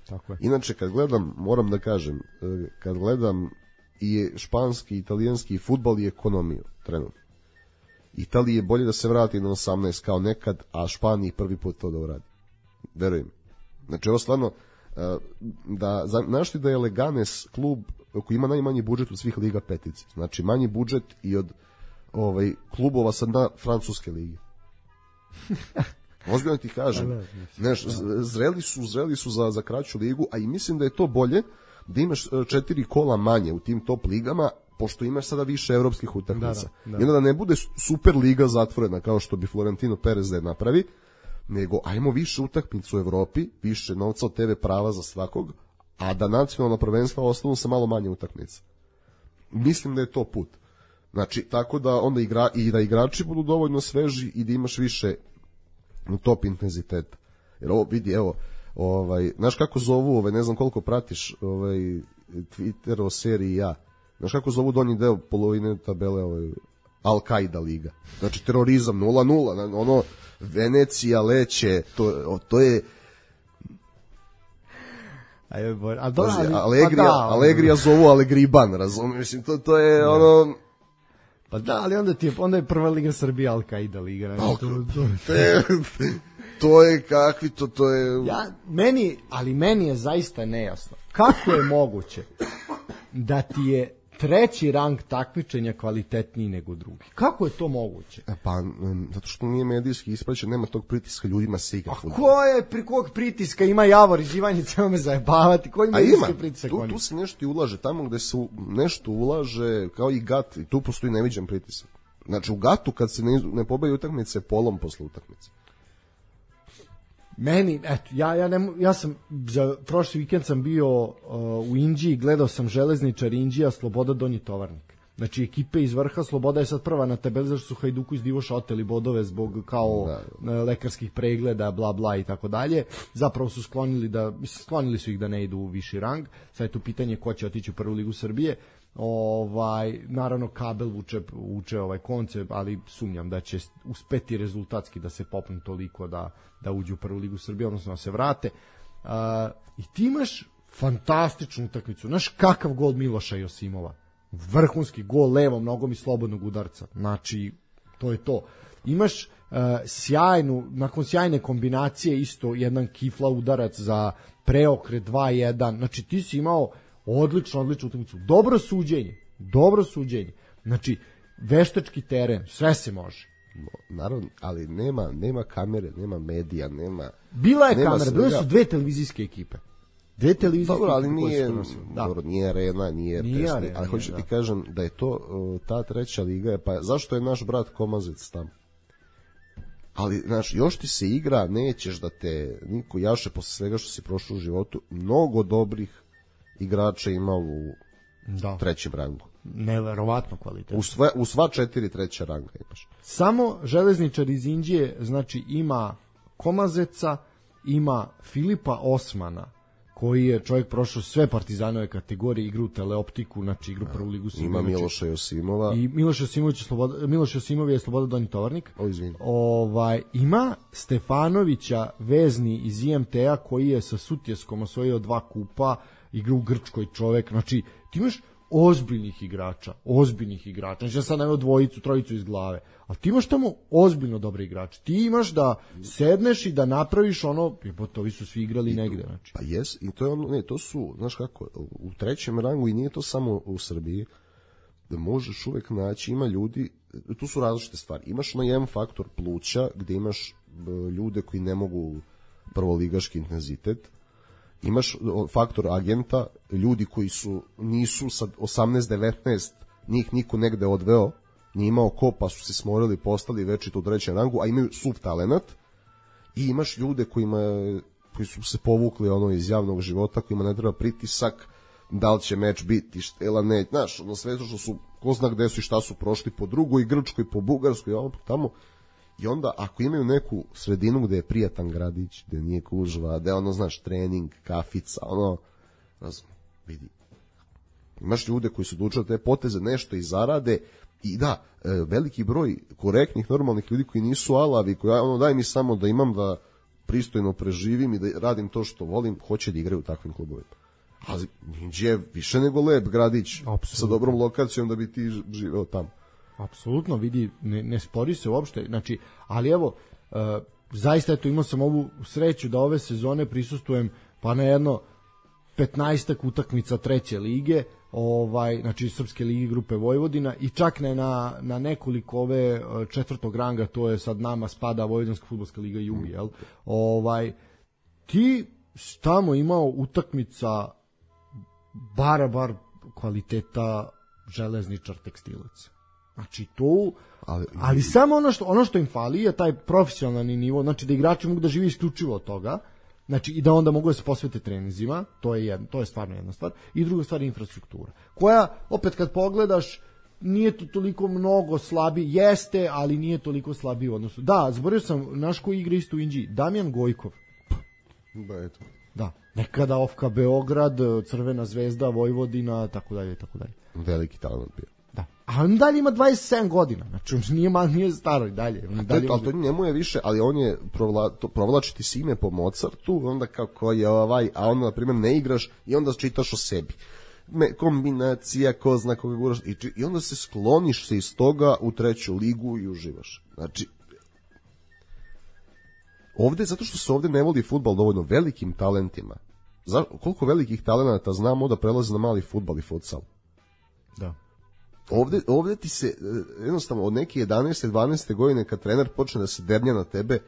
Tako je. Inače, kad gledam, moram da kažem, kad gledam i španski, italijanski fudbal i ekonomiju, trenutno. Italiji je bolje da se vrati na osamnaest kao nekad, a Španiji prvi put to da uradi. Verujem. Znači, ovo stvarno, da, znaš ti da je Leganes klub koji ima najmanji budžet od svih liga petice. Znači, manji budžet i od ovaj, klubova sad na francuske lige. Ozbiljno ti kažem. Znaš, zreli su, zreli su za, za kraću ligu, a i mislim da je to bolje da imaš četiri kola manje u tim top ligama, pošto imaš sada više evropskih utakmica. Da, da, da. I onda da ne bude super liga zatvorena, kao što bi Florentino Perez da je napravi, nego ajmo više utakmica u Evropi, više novca od T V prava za svakog, a da nacionalna prvenstva ostanu sa malo manje utakmica. Mislim da je to put. Znači, tako da onda igra, i da igrači budu dovoljno sveži i da imaš više top intenziteta. Jer ovo, vidi, evo, ovaj, znaš kako zovu, ovaj, ne znam koliko pratiš ovaj, Twitter o seriji Ja, znaš kako zovu donji deo polovine tabele ovaj, Al-Qaida liga. Znači, terorizam nula nula, ono, Venecija, Leće, to, to je... Ajde, boj, a do, ali, Alegrija, pa da, Alegrija zovu Alegriban, razumiješ, mislim, to, to je da. ono... Pa da, ali onda ti je, onda je prva liga Srbije Al-Qaida liga. Ne, to, to, to, je, to je kakvi, to, to je... Ja, meni, ali meni je zaista nejasno. Kako je moguće da ti je treći rang takmičenja kvalitetniji nego drugi? Kako je to moguće? Pa, zato što nije medijski ispraćen, nema tog pritiska, ljudima se igra fudbal. A ko je, pri kog pritiska ima Javor iz Ivanjice, me zajebavati? Koji medijski pritisak tu, tu se nešto i ulaže, tamo gde se nešto ulaže, kao i Gat, i tu postoji neviđen pritisak. Znači, u Gatu kad se ne, ne pobedi utakmice, polom posle utakmice. Meni, eto, ja, ja, ne, ja sam, za prošli vikend sam bio uh, u Inđiji, gledao sam Železničar Inđija, Sloboda Donji Tovarnik. Znači, ekipe iz vrha, Sloboda je sad prva na tabeli, zašto su Hajduku iz Divoša oteli bodove zbog kao da. lekarskih pregleda, bla bla i tako dalje. Zapravo su sklonili da, mislim, sklonili su ih da ne idu u viši rang. Sad je tu pitanje ko će otići u prvu ligu Srbije. Ovaj, naravno kabel vuče, vuče ovaj koncept, ali sumnjam da će uspeti rezultatski da se popnu toliko da, da uđu u prvu ligu Srbije, odnosno da se vrate. Uh, I ti imaš fantastičnu utakmicu. Znaš kakav gol Miloša Josimova? Vrhunski gol levom nogom i slobodnog udarca. Znači, to je to. Imaš uh, sjajnu, nakon sjajne kombinacije isto jedan kifla udarac za preokret dva jedan. Znači, ti si imao odlično, odličnu utakmicu. Dobro suđenje. Dobro suđenje. Znači, veštački teren, sve se može. Naravno, ali nema, nema kamere, nema medija, nema... Bila je nema kamera, bile su dve televizijske ekipe. Dve televizijske dobro, ali ekipe nije, da. dobro, nije arena, nije, nije presni, arena, ali hoću da. ti kažem da je to ta treća liga, pa zašto je naš brat Komazec tamo? Ali, znaš, još ti se igra, nećeš da te niko jaše posle svega što si prošao u životu, mnogo dobrih igrača ima u da. trećem rangu. Neverovatno kvalitetno. U, sve, u sva četiri treća ranga imaš. Samo Železničar iz Inđije, znači ima Komazeca, ima Filipa Osmana, koji je čovjek prošao sve Partizanove kategorije, igru teleoptiku, znači igru prvu ligu Srbije. Ima Miloša Josimova. I Miloš Josimović je Sloboda, Miloš Josimov je Sloboda Donji Tovarnik. O, izvini. Ovaj, ima Stefanovića, vezni iz I M T A, koji je sa Sutjeskom osvojio dva kupa, igru u Grčkoj čovjek. Znači, ti imaš ozbiljnih igrača, ozbiljnih igrača. Znači ja sad nemam dvojicu, trojicu iz glave, ali ti imaš tamo ozbiljno dobre igrače. Ti imaš da sedneš i da napraviš ono, jebote, ovi su svi igrali I negde. Znači. Pa jes, i to je ono, ne, to su, znaš kako, u trećem rangu i nije to samo u Srbiji, da možeš uvek naći, ima ljudi, tu su različite stvari. Imaš na jedan faktor pluća, gde imaš ljude koji ne mogu prvoligaški intenzitet, imaš faktor agenta, ljudi koji su nisu sa osamnaest devetnaest, njih niko negde odveo, nije imao ko, pa su se smorili, postali večito u trećem rangu, a imaju suv talenat, i imaš ljude kojima, koji su se povukli ono iz javnog života, kojima ne treba pritisak, da li će meč biti, štela ne, znaš, ono sve što su, ko zna gde su i šta su prošli po drugoj Grčkoj, po Bugarskoj, ono tamo. I onda, ako imaju neku sredinu gde je prijatan gradić, gde nije kužva, gde ono, znaš, trening, kafica, ono, razum, vidi. Imaš ljude koji su odlučili te poteze, nešto i zarade, i da, veliki broj korektnih, normalnih ljudi koji nisu alavi, koji, ono, daj mi samo da imam da pristojno preživim i da radim to što volim, hoće da igraju u takvim klubovima. Ali Inđija je više nego lep gradić. Absolutno. Sa dobrom lokacijom da bi ti živeo tamo. Apsolutno, vidi, ne, ne spori se uopšte, znači, ali evo, uh, zaista eto imao sam ovu sreću da ove sezone prisustvujem pa na jedno petnaestak utakmica treće lige, ovaj, znači Srpske lige grupe Vojvodina, i čak ne na, na nekoliko ove četvrtog ranga, to je sad nama spada Vojvođanska fudbalska liga Jugi, jel? Ovaj, ti tamo imao utakmica bara bar kvaliteta Železničar Tekstilac. Znači to, ali, ali samo ono što, ono što im fali je taj profesionalni nivo, znači da igrači mogu da žive isključivo od toga, znači i da onda mogu da se posvete treninzima, to je, jedno, to je stvarno jedna stvar, i druga stvar je infrastruktura, koja, opet kad pogledaš, nije to toliko mnogo slabi, jeste, ali nije toliko slabi u odnosu. Da, zaboravio sam, naš koji igra isto u Inđiji, Damjan Gojkov. Da, eto. Da, nekada Ofka Beograd, Crvena zvezda, Vojvodina, tako dalje, tako dalje. Veliki talent bio. Da. A on dalje ima dvadeset sedam godina, znači on nije, mal, nije staro i dalje. On dalje to, ali to njemu je više, ali on je provla, to, provlačiti si ime po Mozartu, onda kako je ovaj, a onda, na primjer, ne igraš i onda čitaš o sebi. Me, kombinacija, ko zna koga guraš, i, i onda se skloniš se iz toga u treću ligu i uživaš. Znači, ovde, zato što se ovde ne voli fudbal dovoljno velikim talentima. Za, koliko velikih talenata znamo da prelaze na mali fudbal i futsal? Da. Ovde, ovde ti se, jednostavno, od neke jedanaeste dvanaeste godine kad trener počne da se dernja na tebe,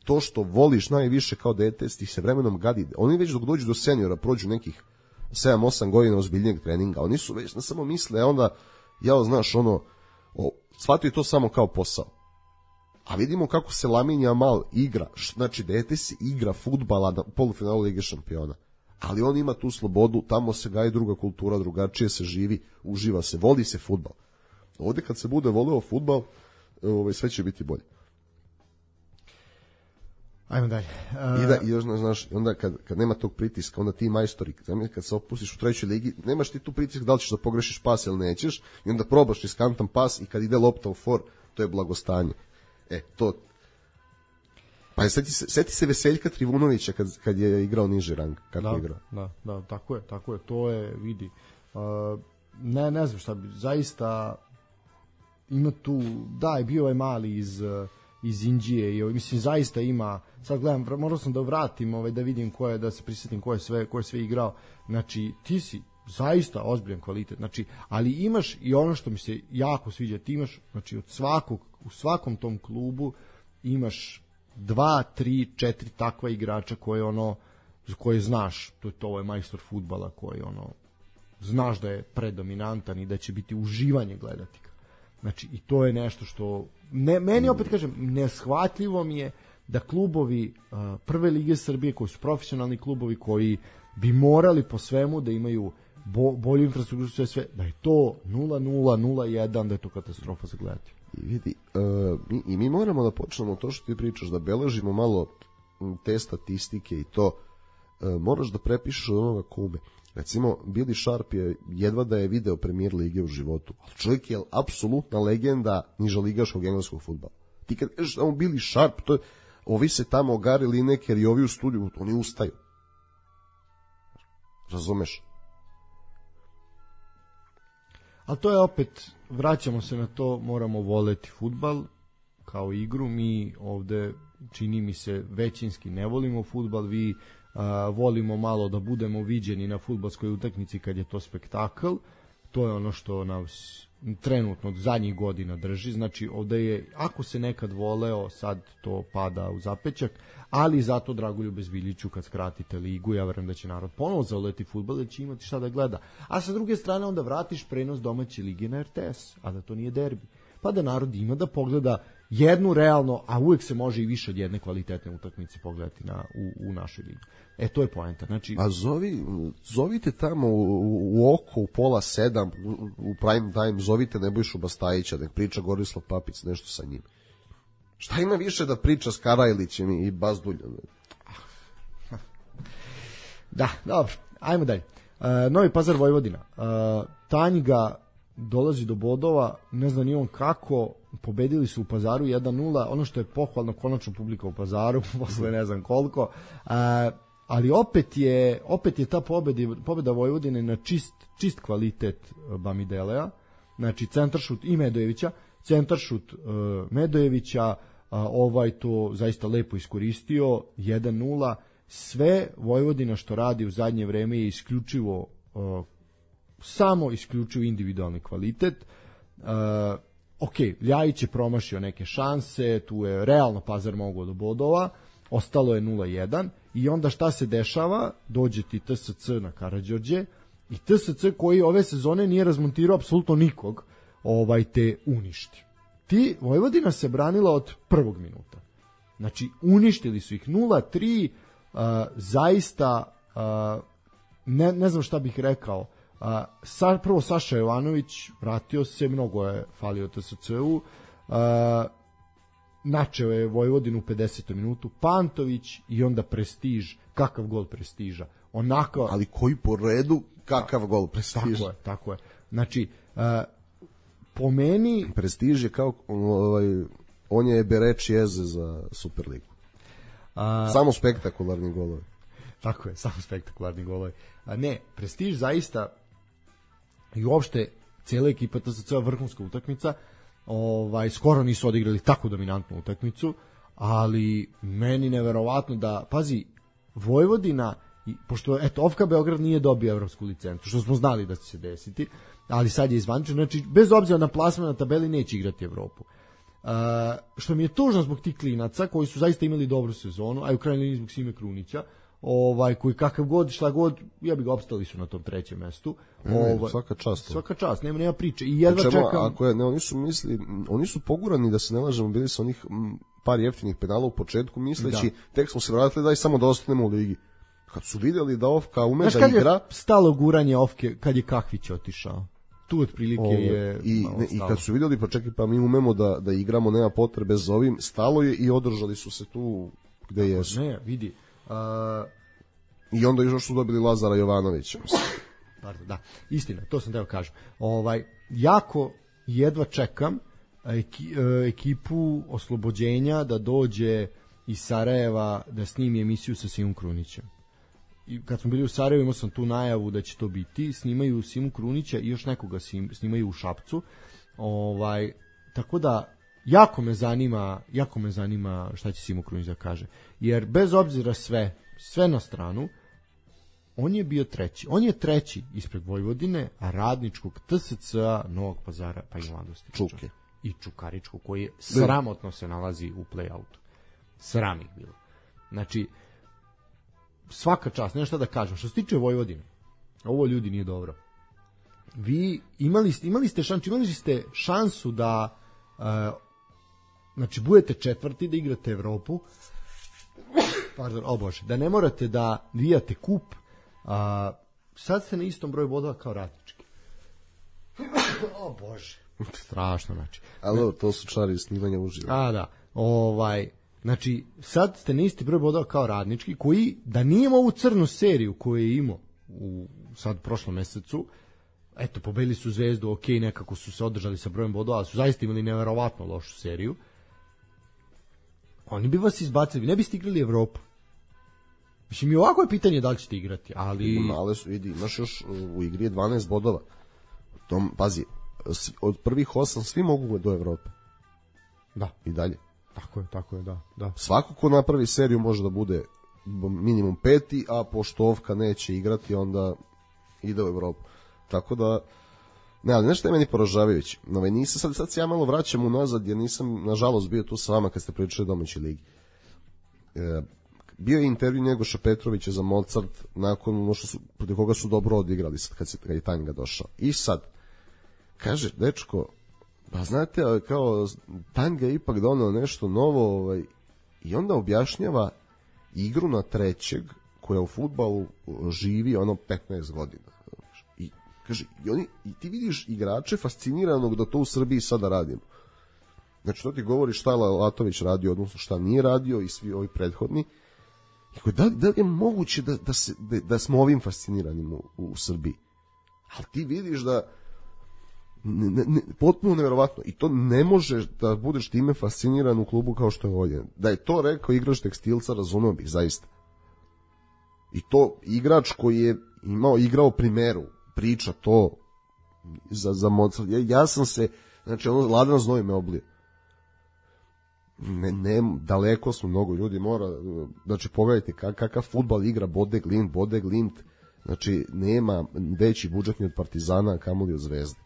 to što voliš najviše kao dete, ti se vremenom gadi. Oni već dok dođu do seniora, prođu nekih sedam osam godina ozbiljnijeg treninga. Oni su već, ne samo misle, a onda, ja znaš, ono, o, shvatio to samo kao posao. A vidimo kako se Lamine Yamal igra, znači dete se igra fudbala na polufinalu Lige šampiona. Ali on ima tu slobodu, tamo se gaji druga kultura, drugačije se živi, uživa se, voli se fudbal. Ovde kad se bude voleo fudbal, ovaj, sve će biti bolje. Ajmo dalje. Uh... I da, i još, znaš, onda kad, kad nema tog pritiska, onda ti majstori, kad se opustiš u trećoj ligi, nemaš ti tu pritisak da li ćeš da pogrešiš pas ili nećeš, i onda probaš riskantan pas i kad ide lopta u for, to je blagostanje. E, to... Pa seti se, seti se Veseljka Trivunovića kad, kad je igrao niži rang, kako da, je igrao. Da, da, tako je, tako je, to je, vidi. Uh, ne, ne znam šta bi, zaista ima tu, da, je bio ovaj mali iz, iz Inđije i mislim, zaista ima, sad gledam, morao sam da vratim, ovaj, da vidim ko je, da se prisjetim ko je sve, ko je sve igrao, znači, ti si zaista ozbiljan kvalitet, znači, ali imaš i ono što mi se jako sviđa, ti imaš, znači, od svakog, u svakom tom klubu imaš dva, tri, četiri takva igrača koje ono, koje znaš, to je to ovaj majstor fudbala koji ono, znaš da je predominantan i da će biti uživanje gledati ga. Znači, i to je nešto što, ne, meni opet kažem, neshvatljivo mi je da klubovi uh, prve lige Srbije, koji su profesionalni klubovi, koji bi morali po svemu da imaju bo, bolju infrastrukturu, sve, sve, da je to nula nula, nula jedan, da je to katastrofa za gledati. I vidi, uh, mi, i mi moramo da počnemo to što ti pričaš, da beležimo malo te statistike i to, uh, moraš da prepišeš od onoga kume. Recimo, Billy Sharp je jedva da je video premijer lige u životu, ali čovjek je apsolutna legenda nižoligaškog engleskog fudbala. Ti kad kažeš tamo Billy Sharp, to je, ovi se tamo Gary Lineker i ovi u studiju, oni ustaju. Razumeš? Ali to je opet, vraćamo se na to, moramo voleti fudbal kao igru. Mi ovde, čini mi se, većinski ne volimo fudbal, vi a, volimo malo da budemo viđeni na fudbalskoj utakmici kad je to spektakl. To je ono što nas trenutno od zadnjih godina drži. Znači ovde je, ako se nekad voleo, sad to pada u zapećak, ali zato Dragoljube Zbiljiću kad skratite ligu, ja verujem da će narod ponovo zavoleti fudbal, da će imati šta da gleda. A sa druge strane onda vratiš prenos domaće lige na R T S, a da to nije derbi. Pa da narod ima da pogleda jednu realno, a uvek se može i više od jedne kvalitetne utakmice pogledati na, u, u našoj ligi. E, to je poenta. Znači, a zovi, zovite tamo u, u oko, u pola sedam, u, u prime time, zovite Nebojšu Bastajića, nek priča Gorislav Papic nešto sa njim. Šta ima više da priča s Karajlićem i Bazduljom? Da, dobro, ajmo dalje. Uh, Novi Pazar Vojvodina. Uh, Tanjga dolazi do bodova, ne znam ni on kako, pobedili su u Pazaru jedan nula, ono što je pohvalno, konačno publika u Pazaru, posle ne znam koliko, uh, ali opet je, opet je ta pobeda, pobeda Vojvodine na čist, čist kvalitet Bamidelea, znači centaršut i Medojevića, centaršut uh, Medojevića, uh, ovaj to zaista lepo iskoristio, jedan nula, sve Vojvodina što radi u zadnje vreme je isključivo uh, samo isključivo individualni kvalitet. Uh, ok, Ljajić je promašio neke šanse, tu je realno Pazar mogao do bodova, ostalo je nula jedan i onda šta se dešava? Dođe ti T S C na Karađorđe i T S C koji ove sezone nije razmontirao apsolutno nikog, ovaj te uništi. Ti, Vojvodina se branila od prvog minuta. Znači, uništili su ih nula tri, uh, zaista uh, ne, ne znam šta bih rekao. Uh, sa, prvo Saša Jovanović vratio se, mnogo je falio T S C-u, uh, načeo je Vojvodinu u pedesetom minutu, Pantović i onda Prestiž, kakav gol Prestiža, onako... Ali koji po redu, kakav gol Prestiža. Tako je, tako je. Znači, uh, po meni... Prestiž je kao, ovaj, on je Bereči Eze za Superligu. A... Samo spektakularni golovi. Tako je, samo spektakularni golovi. A ne, Prestiž zaista i uopšte cijela ekipa T S C vrhunska utakmica, ovaj, skoro nisu odigrali tako dominantnu utakmicu, ali meni neverovatno da, pazi, Vojvodina, pošto eto, Ofka Beograd nije dobio evropsku licencu, što smo znali da će se desiti, ali sad je izvančeno, znači bez obzira na plasman na tabeli neće igrati Evropu. Uh, što mi je tužno zbog tih klinaca koji su zaista imali dobru sezonu, a u krajnjoj liniji zbog Sime Krunića, ovaj, koji kakav god, šta god, ja bih ga opstali su na tom trećem mestu. Ovaj, ne, svaka čast. Svaka čast, nema, nema priče. I jedva čemu, čekam... Ako je, ne, oni su misli, oni su pogurani, da se ne lažemo, bili su onih m, par jeftinih penala u početku, misleći, da. Tek smo se vratili daj samo da ostanemo u ligi. Kad su vidjeli da Ofka ume znaš, da igra... Znaš kad je stalo guranje Ofke, kad je Kahvić otišao? Tu otprilike Ovo, je... I, ne, I kad su vidjeli, pa čekaj, pa mi umemo da, da igramo, nema potrebe za ovim, stalo je i održali su se tu gde tako, jesu. Ne, vidi... Uh... I onda još su dobili Lazara Jovanovića. Pardon, da, istina, to sam teo kažem. Ovaj, jako jedva čekam eki, ekipu Oslobođenja da dođe iz Sarajeva da snimi emisiju sa Simom Krunićem. I kad smo bili u Sarajevu imao sam tu najavu da će to biti, snimaju Simu Krunića i još nekoga snimaju u Šapcu. Ovaj, tako da jako me zanima, jako me zanima šta će Simo Krunić da kaže. Jer bez obzira sve, sve na stranu, on je bio treći. On je treći ispred Vojvodine, a Radničkog, T S C-a, Novog Pazara, pa i Mladosti. Čuke. I Čukaričkog, koji je sramotno se nalazi u play-outu. Sram ih bilo. Znači, svaka čast, nema šta da kažem. Što se tiče Vojvodine, ovo ljudi nije dobro. Vi imali ste, imali ste šansu, imali ste šansu da uh, znači budete četvrti, da igrate Evropu, pardon, o Bože, da ne morate da vijate kup, a sad ste na istom broju bodova kao Radnički. O Bože, strašno, znači. Ali to su čari snimanja uživo. A da, ovaj, znači sad ste na isti broj bodova kao Radnički, koji da nije imao ovu crnu seriju koju je imao u sad prošlom mesecu, eto, pobedili su Zvezdu, ok, nekako su se održali sa brojem bodova, ali su zaista imali neverovatno lošu seriju. Oni bi vas izbacili, ne biste igrali Evropu. Mislim, i ovako je pitanje da li ćete igrati, ali... Male su, vidi, imaš još u igri je dvanaest bodova. Tom, pazi, od prvih osam svi mogu do Evrope. Da. I dalje. Tako je, tako je, da. da. Svako ko napravi seriju može da bude minimum peti, a pošto Ovka neće igrati, onda ide u Evropu. Tako da, ne, ali nešto je meni poražavajuće. No, nisam, sad, sad se ja malo vraćam unazad, jer nisam, nažalost, bio tu sa vama kad ste pričali domaćoj ligi. E, bio je intervju Njegoša Petrovića za Mozart nakon ono što su, protiv koga su dobro odigrali sad kad, se, kad je Tanga došao. I sad, kaže, dečko, pa znate, kao Tanga je ipak donao nešto novo, ovaj, i onda objašnjava igru na trećeg koja u fudbalu živi ono petnaest godina. I kaže, i, oni, i ti vidiš igrače fasciniranog da to u Srbiji sada radimo. Znači, to ti govori šta je Latović radio, odnosno šta nije radio i svi ovi prethodni. I da, da li je moguće da, da, se, da, da smo ovim fasciniranim u, u Srbiji? Ali ti vidiš da ne, ne, potpuno neverovatno. I to ne možeš da budeš time fasciniran u klubu kao što je ovdje. Da je to rekao igrač Tekstilca, razumeo bih zaista. I to igrač koji je imao, igrao primeru, priča to za, za Mozart. Ja, ja sam se, znači ono, ladan znoj me oblio. Ne, ne, daleko smo, mnogo ljudi mora, znači pogledajte kak, kakav fudbal igra Bode Glimt, Bode Glimt, znači nema veći budžet ni od Partizana, kamoli od Zvezde.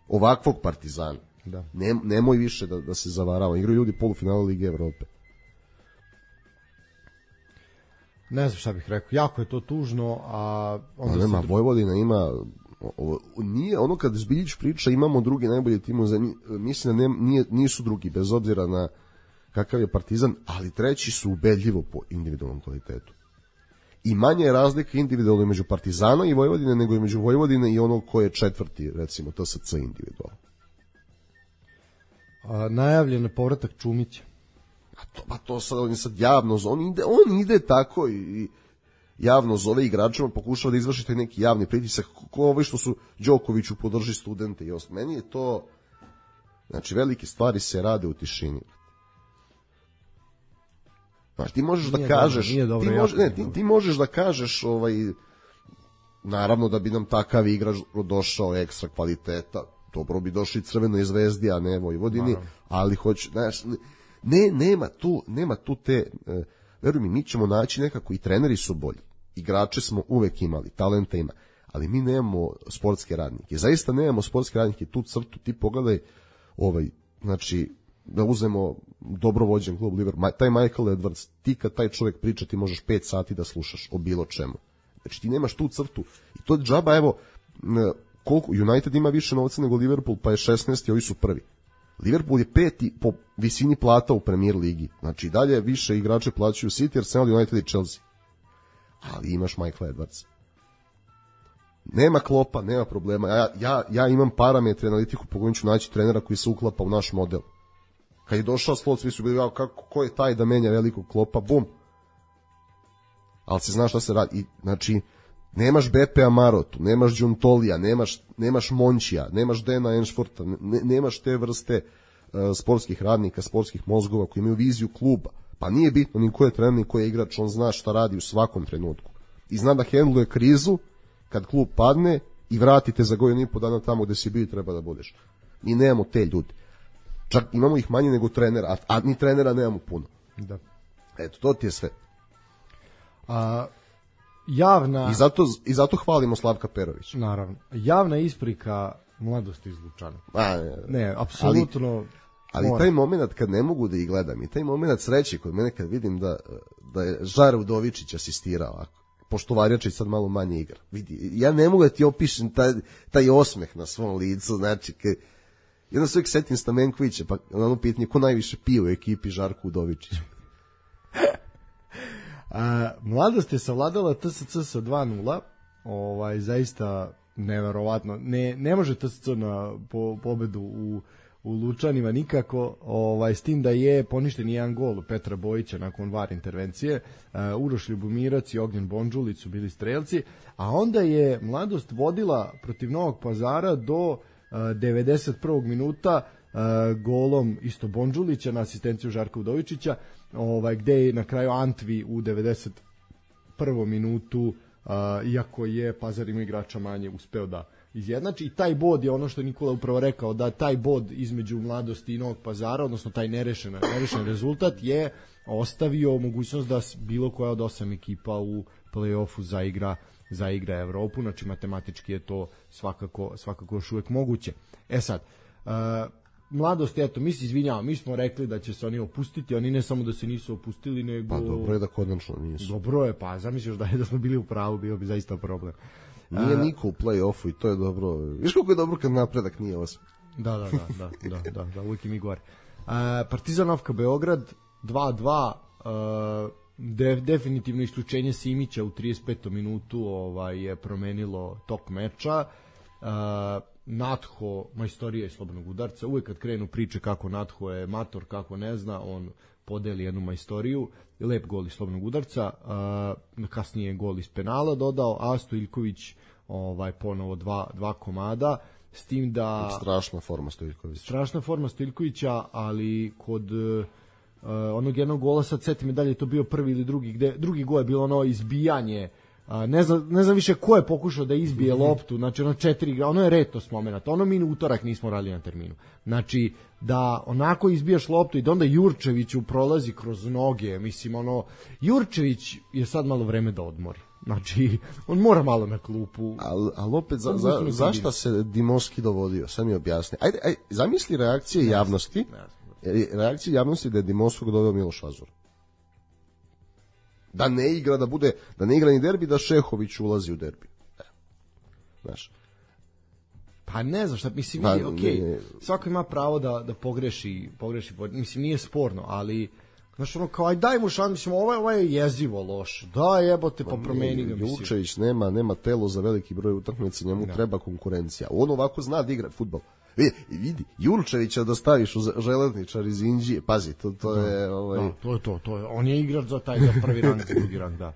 Ovakvog Partizana. Da. Ne, nemoj više da, da se zavarava. Igraju ljudi polufinale Lige Evrope. Ne znam šta bih rekao. Jako je to tužno, a onda a nema, se... Vojvodina ima o, nije ono kad Zbiljić priča imamo drugi najbolji tim u zemlji, mislim da ne, nije, nisu drugi, bez obzira na kakav je Partizan, ali treći su ubedljivo po individualnom kvalitetu. I manje je razlika individualno među Partizana i Vojvodine nego i među Vojvodine i onog ko je četvrti, recimo T S C individualno. A, najavljen je povratak Čumića. A to, pa to sad, on sad javno, on ide, on ide tako i, i javno zove igračima, pokušava da izvršite neki javni pritisak, ko ovi što su Đokoviću podrži studente i ostalo. Meni je to, znači velike stvari se rade u tišini. Znači, ti možeš nije da kažeš, dobro, dobro, ti, može, ne, ti, ti možeš da kažeš, ovaj, naravno da bi nam takav igrač došao ekstra kvaliteta, dobro bi došli Crvenoj Zvezdi, a ne Vojvodini, naravno. Ali hoće, znaš, ne, nema tu, nema tu te, e, veruj mi, mi ćemo naći nekako, i treneri su bolji, igrače smo uvek imali, talenta ima, ali mi nemamo sportske radnike, zaista nemamo sportske radnike, tu crtu, ti pogledaj, ovaj, znači, da uzmemo dobro vođen klub Liverpool, taj Michael Edwards, ti kad taj čovjek priča, ti možeš pet sati da slušaš o bilo čemu. Znači ti nemaš tu crtu. I to je džaba, evo, koliko, United ima više novca nego Liverpool, pa je šesnaesti, ovi su prvi. Liverpool je peti po visini plata u Premier ligi. Znači dalje više igrače plaćaju City, Arsenal, United i Chelsea. Ali imaš Michael Edwards. Nema Klopa, nema problema. Ja, ja, ja imam parametre, analitiku, po kojim ću naći trenera koji se uklapa u naš model. Kad je došao Slot, svi su bili kao, kako, ko je taj da menja velikog Klopa, bum. Ali se zna šta se radi. I, znači, nemaš Bepe Marotu, nemaš Đuntolija, nemaš, nemaš Mončija, nemaš Dena Enšforta, ne, nemaš te vrste uh, sportskih radnika, sportskih mozgova koji imaju viziju kluba. Pa nije bitno ni ko je trener, ni ko je igrač, on zna šta radi u svakom trenutku. I zna da hendluje krizu kad klub padne i vratite za godinu i po dana tamo gde si bio i treba da budeš. Mi nemamo te ljudi. Čak imamo ih manje nego trenera, a, a ni trenera nemamo puno. Da. Eto, to ti je sve. A, javna... I zato, I zato hvalimo Slavka Perovića. Naravno. Javna isprika mladosti iz Lučana. A, ne, ne, apsolutno... Ali, ali taj moment kad ne mogu da ih gledam i taj moment sreće kod mene kad vidim da, da je Žar Udovičić asistirao ovako. Pošto Varjačić sad malo manje igra. Vidi, ja ne mogu da ti opišem taj, taj osmeh na svom licu, znači, kad i onda se uvijek setim Stamenkovića, pa ono pitanje, ko najviše pije u ekipi Žarko Udovičić? A, mladost je savladala T S C sa dva nula, ovaj, zaista neverovatno. Ne, ne može T S C na po, pobedu u, u Lučanima nikako, ovaj, s tim da je poništen jedan gol Petra Bojića nakon V A R intervencije, uh, Uroš Ljubomirac i Ognjen Bondžulić su bili strelci, a onda je mladost vodila protiv Novog Pazara do devedeset prvog minuta uh, golom isto Bondžulića na asistenciju Žarka Udovičića, ovaj, gde je na kraju Antvi u devedeset prvom minutu, uh, iako je Pazar ima igrača manje, uspeo da izjednači i taj bod je ono što je Nikola upravo rekao, da taj bod između Mladosti i Novog Pazara, odnosno taj nerešen, nerešen rezultat je ostavio mogućnost da bilo koja od osam ekipa u play-offu zaigra, zaigra Evropu, znači matematički je to svakako, svakako još uvek moguće. E sad, uh, Mladost, eto, mi se izvinjavamo, mi smo rekli da će se oni opustiti, oni ne samo da se nisu opustili, nego... Pa dobro je da konačno nisu. Dobro je, pa zamisliš da je da smo bili u pravu, bio bi zaista problem. Nije uh, niko u play-offu i to je dobro. Viš kako je dobro kad napredak nije osam. Da, da, da, da, da, da, da, uvijek i mi gore. Uh, Partizan Ofka Beograd, dva dva, uh, de, definitivno isključenje Simića u trideset petom minutu ovaj, je promenilo tok meča. Uh, Natho, majstorija iz slobodnog udarca, uvek kad krenu priče kako Natho je mator, kako ne zna, on podeli jednu majstoriju, lep gol iz slobodnog udarca, uh, kasnije gol iz penala dodao, a Stojljković ovaj, ponovo dva, dva komada, s tim da... Strašna forma Stojljkovića. Strašna forma Stojljkovića, ali kod uh, onog jednog gola, sad seti me da li je to bio prvi ili drugi, gde drugi gol je bilo ono izbijanje. A, ne, znam, ne znam više ko je pokušao da izbije loptu, znači ono četiri igra, ono je retos moment, ono mi u utorak nismo radili na terminu. Znači, da onako izbijaš loptu i da onda Jurčeviću prolazi kroz noge, mislim, ono, Jurčević je sad malo vreme da odmori. Znači, on mora malo na klupu. Ali al opet, za, za, zašto se Dimoski dovodio? Sad mi objasni. Ajde, ajde, zamisli reakcije ne, javnosti, ne, reakcije javnosti da je Dimoskog doveo Miloš Azor. Da ne igra, da bude, da ne igra ni derbi, da Šehović ulazi u derbi. E. Znaš. Pa ne znam šta, mislim, pa, okej, okay, svako ima pravo da, da pogreši, pogreši, mislim, nije sporno, ali, znaš, ono, kao, aj daj mu šan, mislim, ovo, ovo je jezivo loš, da jebote, pa, pa promeni ga, mislim. Jučević nema, nema telo za veliki broj utakmica, njemu da. Treba konkurencija. On ovako zna da igra fudbal. Vidi, vidi, Jurčevića da staviš u Železničar iz Inđije, pazi, to, to da, je... Ovaj... Da, to je to, to je, on je igrač za taj, za prvi rang, za drugi rang, da.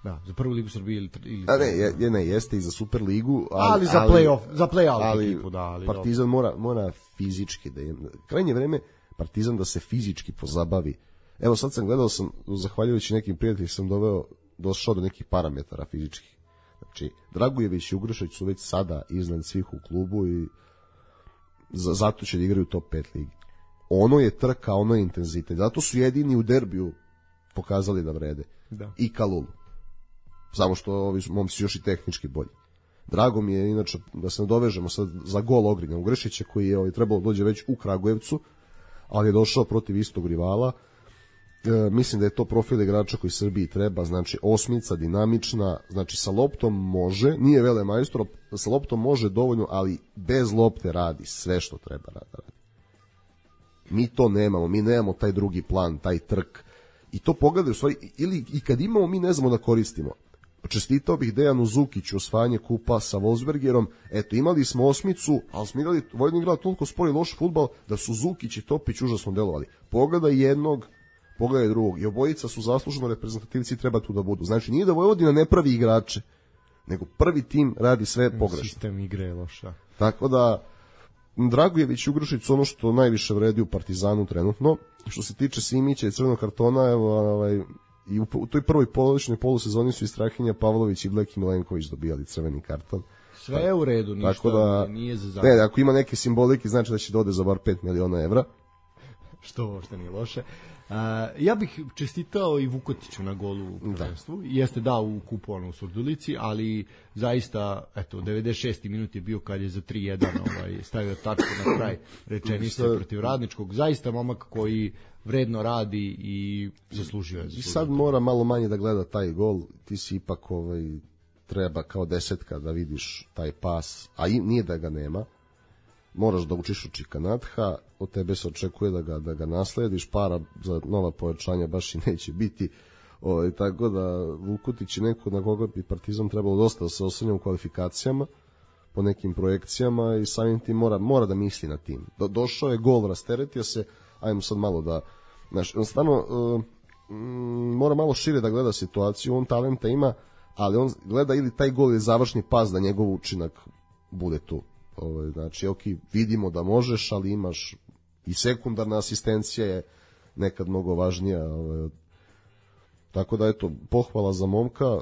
Da, za prvu ligu Srbije ili... ili A ne, je, ne, jeste i za Superligu, ali... Ali za play-off, za play-out ali ekipu, da. Ali Partizan mora, mora fizički, da je, krajnje vreme Partizan da se fizički pozabavi. Evo sad sam gledao, sam, zahvaljujući nekim prijateljima, sam doveo, došao do nekih parametara fizičkih. Znači, Dragujević i Ugrušić su već sada iznad svih u klubu i zato će da igraju top pet ligi. Ono je trka, ono je intenzitet. Zato su jedini u derbiju pokazali da vrede. Da. I Kalulu. Samo što ovi momci još i tehnički bolji. Drago mi je, inače, da se nadovežemo sad za gol Ogrina Ugrešića, koji je ovaj, trebalo dođe već u Kragujevcu, ali je došao protiv istog rivala. E, mislim da je to profil igrača koji Srbiji treba, znači osmica, dinamična, znači sa loptom može, nije vele majstor, sa loptom može dovoljno, ali bez lopte radi sve što treba radi. Mi to nemamo, mi nemamo taj drugi plan, taj trk, i to pogledaj u stvari, ili i kad imamo, mi ne znamo da koristimo. Čestitao bih Dejanu Zukiću osvajanje kupa sa Wolfsbergerom, eto imali smo osmicu, ali smo igrali, Vojvodina igrala toliko spori loš fudbal da su Zukić i Topić užasno delovali. Pogledaj jednog, pogledaj drugog, i obojica su zasluženo reprezentativci i treba tu da budu. Znači nije da Vojvodina ne pravi igrače, nego prvi tim radi sve pogrešno. Sistem igre je loša. Tako da Dragujević i Ugrušić su ono što najviše vredi u Partizanu trenutno. Što se tiče Simića i crvenog kartona, evo, ovaj, i u, u toj prvoj polovičnoj polusezoni su i Strahinja Pavlović i Bleki Milenković dobijali crveni karton. Sve je u redu, ništa, tako da, nije za zakon. Ne, ako ima neke simbolike, znači da će da ode za bar pet miliona evra. Što uopšte nije loše. Uh, ja bih čestitao i Vukotiću na golu u prvenstvu. Da. Jeste da u kupu ono u Surdulici, ali zaista, eto, devedeset šesti minut je bio kad je za tri jedan ovaj, stavio tačku na kraj rečenice protiv Radničkog. Zaista momak koji vredno radi i zaslužio je. I sad mora malo manje da gleda taj gol, ti si ipak ovaj, treba kao desetka da vidiš taj pas, a i nije da ga nema. Moraš da učiš u Čikanatha, od tebe se očekuje da ga, da ga naslediš, para za nova pojačanja baš i neće biti. O, tako da Vukotić je neko na koga bi Partizan trebalo dosta da se osvrne u kvalifikacijama, po nekim projekcijama, i samim tim mora, mora da misli na tim. Do, došao je gol, rasteretio se, ajmo sad malo da... Znaš, stvarno, uh, mora malo šire da gleda situaciju, on talenta ima, ali on gleda ili taj gol je završni pas da njegov učinak bude tu. Ovaj, znači, ok, vidimo da možeš, ali imaš i sekundarna asistencija je nekad mnogo važnija. Ovaj. Tako da, eto, pohvala za momka.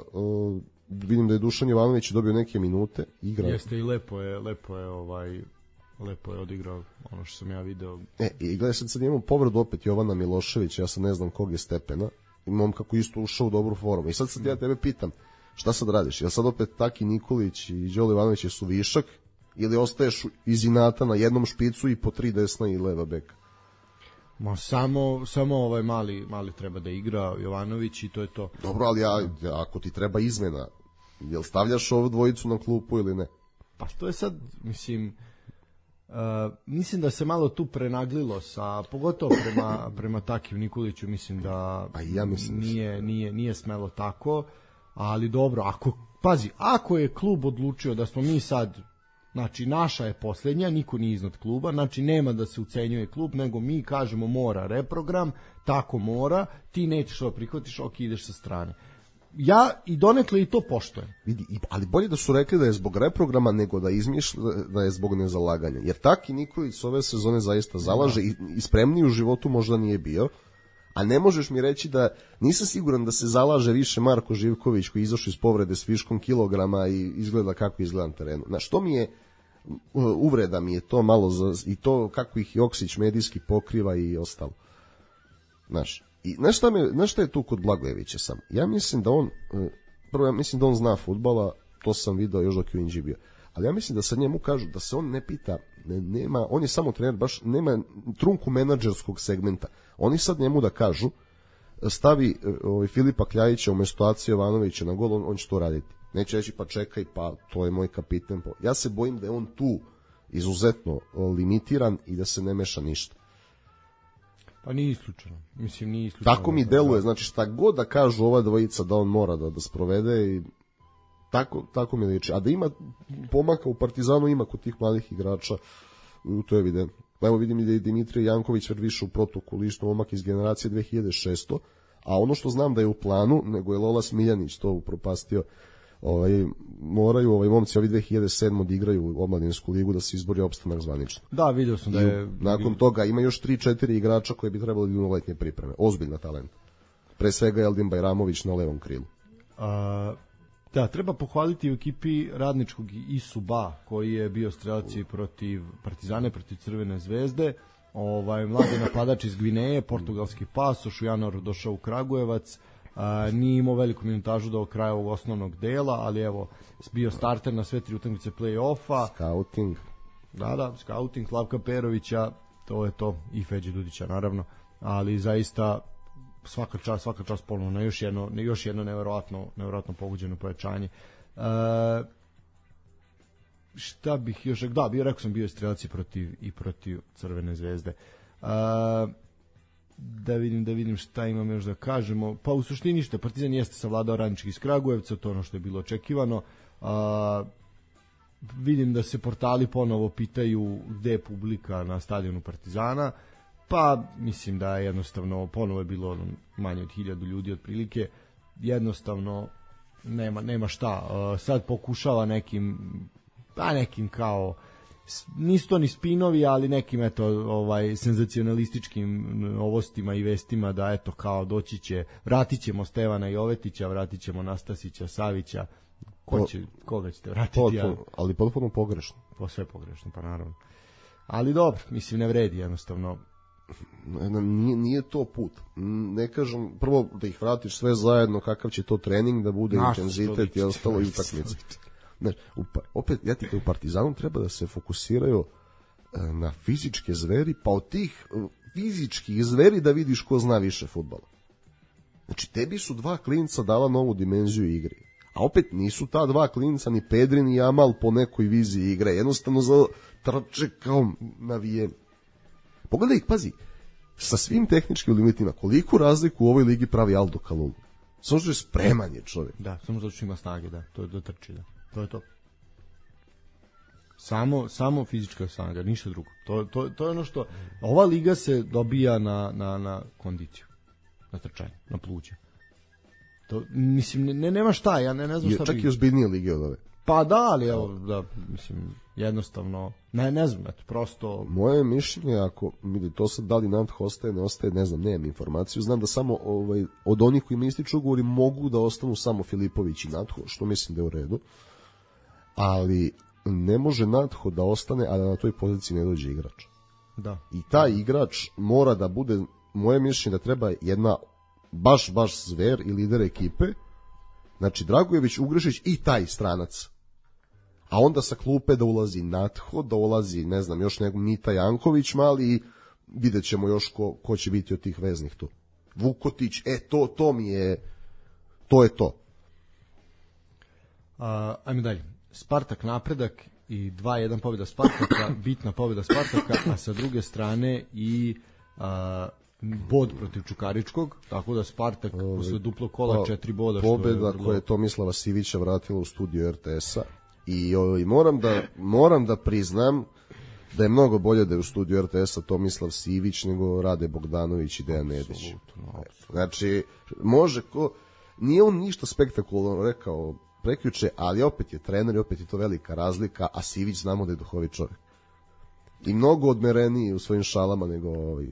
vidim da je Dušan Jovanović dobio neke minute, igra. Jeste i lepo je, lepo je ovaj lepo je odigrao ono što sam ja video. E, i gledaj, sad, sad imamo povredu opet Jovana Miloševića, ja sad ne znam kog je stepena, imam kako isto ušao u dobru formu. I sad sad ja tebe pitam, šta sad radiš? Jel sad opet Taki Nikolić i Đole Ivanović su višak ili ostaješ iz inata na jednom špicu i po tri desna i leva beka? Ma samo, samo ovaj mali, mali treba da igra Jovanović i to je to. Dobro, ali ja, ako ti treba izmena, jel stavljaš ovu dvojicu na klupu ili ne? Pa to je sad, mislim, uh, mislim da se malo tu prenaglilo sa, pogotovo prema, prema Takiju Nikoliću, mislim da pa ja mislim nije, nije, nije smelo tako, ali dobro, ako, pazi, ako je klub odlučio da smo mi sad, znači naša je posljednja, niko nije iznad kluba, znači nema da se ucenjuje klub, nego mi kažemo mora reprogram, tako mora, ti nećeš to prihvatiš, ok, ideš sa strane. Ja i donekle i to poštujem. Vidi, ali bolje da su rekli da je zbog reprograma nego da izmišlja da je zbog nezalaganja. Jer Taki Nikolić ove sezone zaista zalaže i, i spremniji u životu možda nije bio, a ne možeš mi reći da nisam siguran da se zalaže više Marko Živković koji je izašao iz povrede s viškom kilograma i izgleda kako izgleda na terenu. Znaš, to mi je uvreda mi je to malo za, i to kako ih Joksić medijski pokriva i ostalo. Znaš, i znaš šta, me, znaš šta je tu kod Blagojevića sam? Ja mislim da on, prvo ja mislim da on zna fudbala, to sam video još dok je u Inđi bio, ali ja mislim da sad njemu kažu da se on ne pita, ne, nema, on je samo trener, baš nema trunku menadžerskog segmenta. Oni sad njemu da kažu, stavi ovaj, Filipa Kljajića umesto Aci Jovanovića na gol, on, on će to raditi. Neće reći pa čekaj, pa to je moj kapitan. Ja se bojim da je on tu izuzetno limitiran i da se ne meša ništa. Pa nije isključeno. Mislim, nije isključeno. Tako mi deluje, znači šta god da kažu ova dvojica da on mora da, da sprovede i tako, tako mi liči. A da ima pomaka u Partizanu, ima kod tih mladih igrača, to je evidentno. Evo vidim da je Dimitrije Janković već više u protokolu, isto momak iz generacije dve hiljade šeste. A ono što znam da je u planu, nego je Lola Smiljanić to upropastio, ovaj, moraju ovaj momci ovi dve hiljade sedme odigraju omladinsku ligu da se izbori opstanak zvanično. Da, vidio sam da je... Nakon toga ima još tri četiri igrača koji bi trebali da idu na letnje pripreme. Ozbiljna talent. Pre svega Eldin Bajramović na levom krilu. A, da, treba pohvaliti u ekipi radničkog Isuba koji je bio strelac i protiv Partizane, protiv Crvene zvezde. Ovaj, mladi napadač iz Gvineje, portugalski pasoš, u januaru došao u Kragujevac. A, nije imao veliku minutažu do kraja ovog osnovnog dela, ali evo, bio starter na sve tri utakmice play-offa. Scouting. Da, da, scouting Slavka Perovića, to je to, i Feđe Dudića naravno, ali zaista svaka čast, svaka čast ponovno na još jedno, još jedno neverovatno, neverovatno pogođeno pojačanje. E, šta bih još, da, bio, rekao sam, bio je strelac i protiv, i protiv Crvene zvezde. E, da vidim, da vidim šta imam još da kažemo. Pa u suštini što Partizan jeste savladao Radnički iz Kragujevca, to ono što je bilo očekivano. A, vidim da se portali ponovo pitaju gde je publika na stadionu Partizana, pa mislim da je jednostavno ponovo je bilo manje od hiljadu ljudi otprilike, jednostavno nema, nema šta. A, sad pokušava nekim pa nekim kao nisu to ni spinovi, ali nekim eto ovaj senzacionalističkim novostima i vestima da eto kao doći će, vratit ćemo Stevana Jovetića, vratit ćemo Nastasića, Savića, ko će, koga ćete vratiti? Potpuno, ali potpuno pogrešno. Po sve pogrešno, pa naravno. Ali dobro, mislim ne vredi jednostavno. Nije, nije to put. Ne kažem, prvo da ih vratiš sve zajedno, kakav će to trening da bude, naš intenzitet i ostalo i utakmice. Znači, opet, ja ti u Partizanu treba da se fokusiraju na fizičke zveri, pa od tih fizičkih zveri da vidiš ko zna više fudbala. Znači, tebi su dva klinca dala novu dimenziju igre. A opet nisu ta dva klinca ni Pedri ni Jamal po nekoj viziji igre. Jednostavno za trče kao navijeni. Pogledaj ih, pazi, sa svim tehničkim limitima, koliko razliku u ovoj ligi pravi Aldo Kalulu. Samo što je spreman je čovjek. Da, samo zato što ima snage, da, to je do trči, da. To je to. Samo, samo fizička snaga, ništa drugo. To, to, to je ono što... Ova liga se dobija na, na, na kondiciju. Na trčanje, na pluće. To, mislim, ne, nema šta, ja ne, ne znam šta... Čak i ozbiljnije lige od ove. Pa da, ali evo, da, mislim, jednostavno, ne, ne znam, eto, prosto... Moje mišljenje, ako vidi, to sad da li Nadho ostaje, ne ostaje, ne znam, nemam informaciju, znam da samo ovaj, od onih koji mi ističu ugovori mogu da ostanu samo Filipović i Nadho, što mislim da je u redu, ali ne može Nadho da ostane, a da na toj poziciji ne dođe igrač. Da. I taj igrač mora da bude, moje mišljenje da treba jedna baš, baš zver i lider ekipe, znači Dragojević, Ugrešić i taj stranac. A onda sa klupe da ulazi Nadho, da ulazi, ne znam, još nego Mita Janković mali i vidjet ćemo još ko, ko će biti od tih veznih tu. Vukotić, e, to, to mi je, to je to. A, ajmo dalje. Spartak napredak i dva jedan pobjeda Spartaka, bitna pobjeda Spartaka, a sa druge strane i a, bod protiv Čukaričkog, tako da Spartak posle duplo kola četiri boda. Pobjeda što je koja je Tomislava Sivića vratila u studiju R T S-a i ovaj, moram, da, moram da priznam da je mnogo bolje da je u studiju R T S-a Tomislav Sivić nego Rade Bogdanović i Dejan Nedić. Znači, može ko... Nije on ništa spektakularno rekao prekjuče, ali opet je trener i opet je to velika razlika, a Sivić znamo da je duhovit čovjek. I mnogo odmereniji u svojim šalama nego ovaj...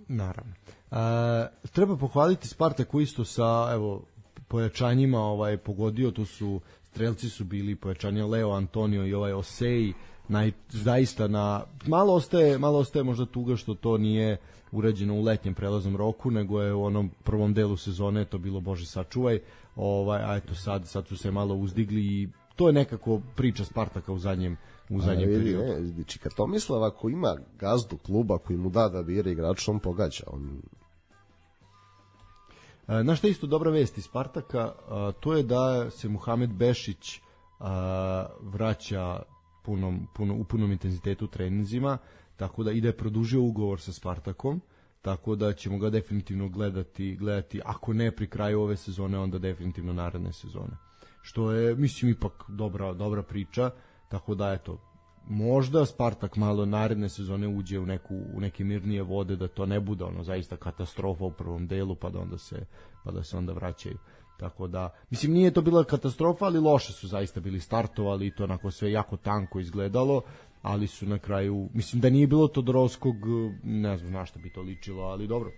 Naravno. E, treba pohvaliti Spartak koji isto sa evo pojačanjima ovaj pogodio, tu su strelci su bili pojačanja Leo Antonio i ovaj Osei, naj, zaista na malo ostaje malo ostaje možda tuga što to nije urađeno u letnjem prelaznom roku, nego je u onom prvom delu sezone to bilo bože sačuvaj, ovaj a eto sad sad su se malo uzdigli i to je nekako priča Spartaka u zadnjem u zadnjem vidi, periodu. Ne, znači, kad Tomislav ako ima gazdu kluba koji mu da da bira igrača, on pogađa. On... E, na što je isto dobra vest iz Spartaka, a, to je da se Muhamed Bešić a, vraća punom, puno, u punom intenzitetu treninzima, tako da ide produžio ugovor sa Spartakom, tako da ćemo ga definitivno gledati, gledati ako ne pri kraju ove sezone, onda definitivno naredne sezone. Što je, mislim, ipak dobra, dobra priča, tako da, eto, možda Spartak malo naredne sezone uđe u, neku, u neke mirnije vode, da to ne bude ono zaista katastrofa u prvom delu, pa da onda se, pa da se onda vraćaju. Tako da, mislim, nije to bila katastrofa, ali loše su zaista bili startovali i to onako sve jako tanko izgledalo, ali su na kraju, mislim da nije bilo Todorovskog, ne znam na što bi to ličilo, ali dobro,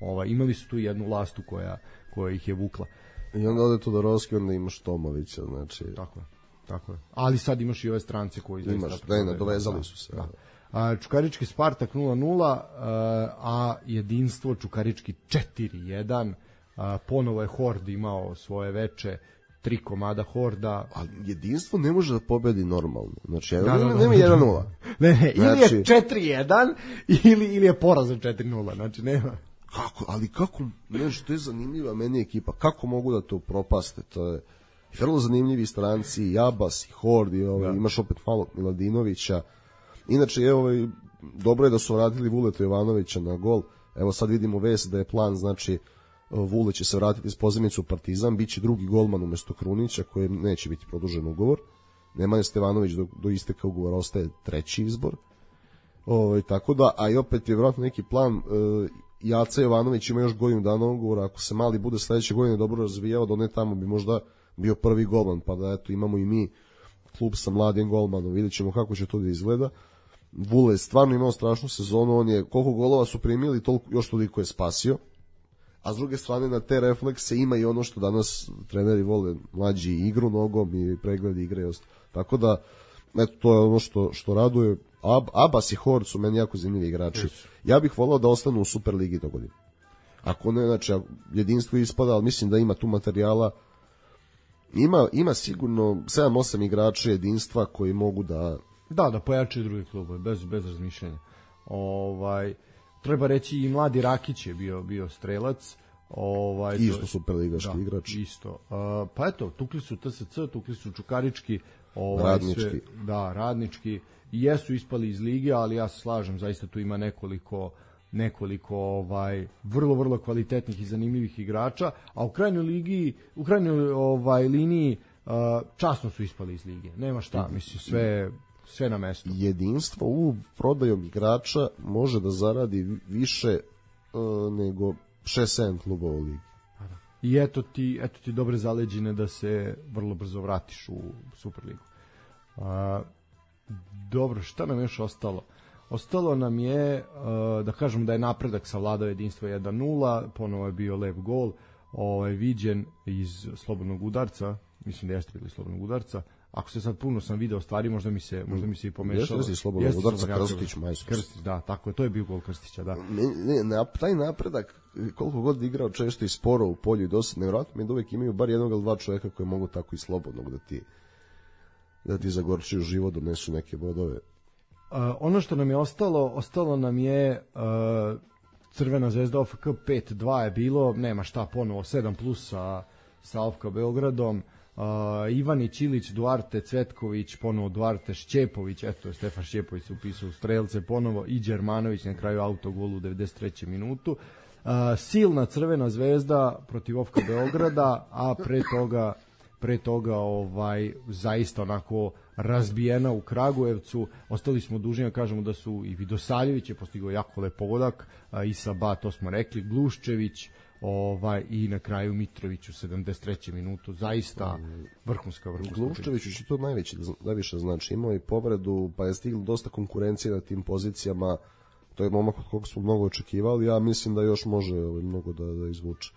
ovaj, imali su tu jednu lastu koja, koja ih je vukla. I onda ode Todorovski, onda imaš Tomovića, znači... Tako je, tako je. Ali sad imaš i ove strance koji... Imaš, da je, nadovezali su se. Da. A, Čukarički Spartak nula nula, a jedinstvo Čukarički četiri jedan, a, ponovo je Hord imao svoje veče, tri komada Horda. Ali jedinstvo ne može da pobedi normalno. Znači, Da, da, da, nema da. jedan nula. Ne, ne, ili Znači- je četiri jedan ili, ili je porazan četiri nula, znači nema. Kako, ali kako, nešto, to je zanimljiva meni ekipa, kako mogu da to propaste, to je vrlo zanimljivi stranci, Jabas i Hord, i ovaj, Da. imaš opet malo Miladinovića, inače je ovaj, dobro je da su vratili Vuleta Jovanovića na gol, evo sad vidimo vest da je plan, znači Vule će se vratiti iz pozemicu u Partizan, bit će drugi golman umesto Krunića, koji neće biti produžen ugovor, Nemanja Stevanović do, do isteka ugovora ostaje treći izbor, ovaj, tako da, a i opet je vjerojatno neki plan, e, Jaca Jovanović ima još godinu dana ugovora, ako se Mali bude sledeće godine dobro razvijao, da ne tamo bi možda bio prvi golman, pa da eto imamo i mi klub sa mladim golmanom, vidjet ćemo kako će to da izgleda. Vule je stvarno imao strašnu sezonu, on je, koliko golova su primili, toliko, još toliko je spasio, a s druge strane na te reflekse ima i ono što danas treneri vole, mlađi igru nogom i pregled igre i ostalo. Tako da, eto, to je ono što, što raduje. Ab, Abbas i Hord su meni jako zanimljivi igrači. Ja bih volao da ostanu u Superligi do godine. Ako ne, znači, jedinstvo ispada, ali mislim da ima tu materijala. Ima, ima sigurno sedam osam igrača jedinstva koji mogu da... Da, da pojačaju drugi klubove, bez, bez razmišljanja. Ovaj, treba reći i mladi Rakić je bio, bio strelac. Ovaj, Isto to, superligaški da, igrač. Isto. Uh, pa eto, tukli su T S C, tukli su Čukarički. Ovaj, Radnički. Sve, da, radnički. I jesu ispali iz lige, ali ja se slažem, zaista tu ima nekoliko nekoliko ovaj vrlo vrlo kvalitetnih i zanimljivih igrača, a u krajnjoj ligi, u krajnjoj ovaj liniji uh, časno su ispali iz lige. Nema šta, mislim sve sve na mestu. Jedinstvo u prodajom igrača može da zaradi više uh, nego šest sedam klubova u ligi. I eto ti, eto ti dobre zaleđine da se vrlo brzo vratiš u Superligu. A, dobro, šta nam još ostalo? Ostalo nam je, da kažem da je napredak savladao jedinstvo jedan nula, ponovo je bio lep gol, ovaj, viđen iz slobodnog udarca, mislim da jeste bili slobodnog udarca, ako se sad puno sam video stvari, možda mi se, možda mi se i pomešalo. Jeste slobodnog udarca, Krstić, majstor. Krstić, da, tako je, to je bio gol Krstića, da. Ne, ne, taj napredak, koliko god igrao često i sporo u polju i dosta, nevjerojatno mi da uvek imaju bar jednog ili dva čoveka koji mogu tako i slobodnog da ti da ti zagorčuju život, donesu neke bodove. Uh, ono što nam je ostalo, ostalo nam je uh, Crvena zvezda O F K pet dva je bilo, nema šta ponovo, sedam plus sa, sa O F K Beogradom, uh, Ivanić, Ilić, Duarte, Cvetković, ponovo Duarte, Šćepović, eto je Stefan Šćepović se upisao u strelce ponovo i Đermanović na kraju autogolu u devedeset trećoj minutu. Uh, silna Crvena zvezda protiv O F K Beograda, a pre toga pre toga ovaj zaista onako razbijena u Kragujevcu. Ostali smo dužni da kažemo da su i Vidosaljević je postigao jako lep pogodak, Isa Ba, to smo rekli, Gluščević, ovaj, i na kraju Mitrović u sedamdeset trećoj minutu, zaista vrhunska vrhunska. Gluščević će to najveće, najviše znači, imao i povredu, pa je stiglo dosta konkurencije na tim pozicijama, to je momak od koga smo mnogo očekivali, ja mislim da još može ovaj, mnogo da, da izvuče.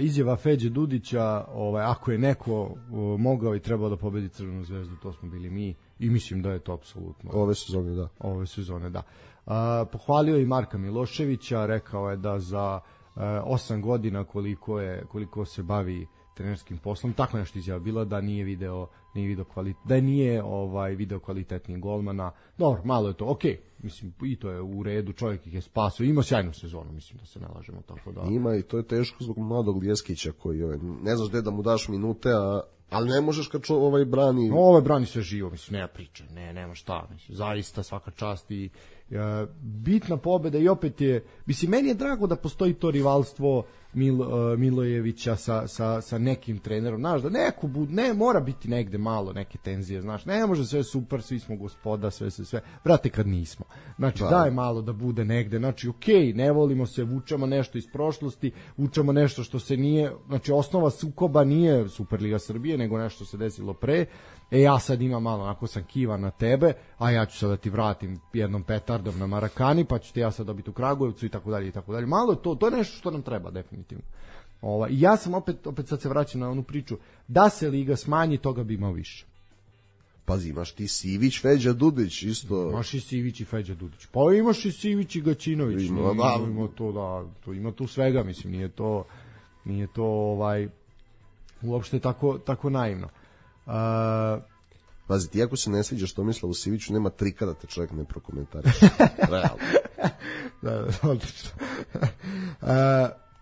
Izjava Feđe Dudića, ovaj, ako je neko uh, mogao i trebao da pobedi Crvenu zvezdu, to smo bili mi i mislim da je to apsolutno. Ove sezone, da. Ove sezone, da. Uh, pohvalio i Marka Miloševića, rekao je da za uh, osam godina koliko je koliko se bavi trenerskim poslom, tako nešto izjava bila da nije video, nije video kvalitet, da nije ovaj video kvalitetnih golmana. Dobro, malo je to, okej. Mislim, i to je u redu, čovjek ih je spasao, ima sjajnu sezonu, mislim da se ne lažemo, tako da. Ima i to je teško zbog mladog Ljeskića koji ovaj, ne znaš gde da mu daš minute, a ali ne možeš kad čo, ovaj brani. No, ovaj brani sve živo, mislim, nema priče, ne, nema šta, mislim, zaista svaka čast i e, bitna pobeda i opet je, mislim, meni je drago da postoji to rivalstvo Mil, uh, Milojevića sa, sa, sa nekim trenerom, znaš, da neko bud, ne, mora biti negde malo neke tenzije, znaš, ne može sve super, svi smo gospoda, sve, sve, sve, brate, kad nismo, znači, da. Daj malo da bude negde, znači, okej, okay, ne volimo se, vučemo nešto iz prošlosti, vučemo nešto što se nije, znači, osnova sukoba nije Superliga Srbije, nego nešto se desilo pre, e, ja sad imam malo, onako sam kivan na tebe, a ja ću sad da ti vratim jednom petardom na Marakani, pa ću ti ja sad dobiti u Kragujevcu i tako dalje i tako dalje. Malo je to, to je nešto što nam treba definitivno. Ova, i ja sam opet, opet sad se vraćam na onu priču, da se liga smanji, toga bi imao više. Pazi, imaš ti Sivić, Feđa Dudić, isto. Imaš i Sivić i Feđa Dudić. Pa imaš i Sivić i Gaćinović. Ima, nije, da. Ima to, da, to, ima tu svega, mislim, nije to, nije to ovaj, uopšte tako, tako naivno. Uh, Pazi, ti ako se ne sviđa što misla u Siviću, nema trika da te čovjek ne prokomentariše. Realno. Da, da, odlično. Uh,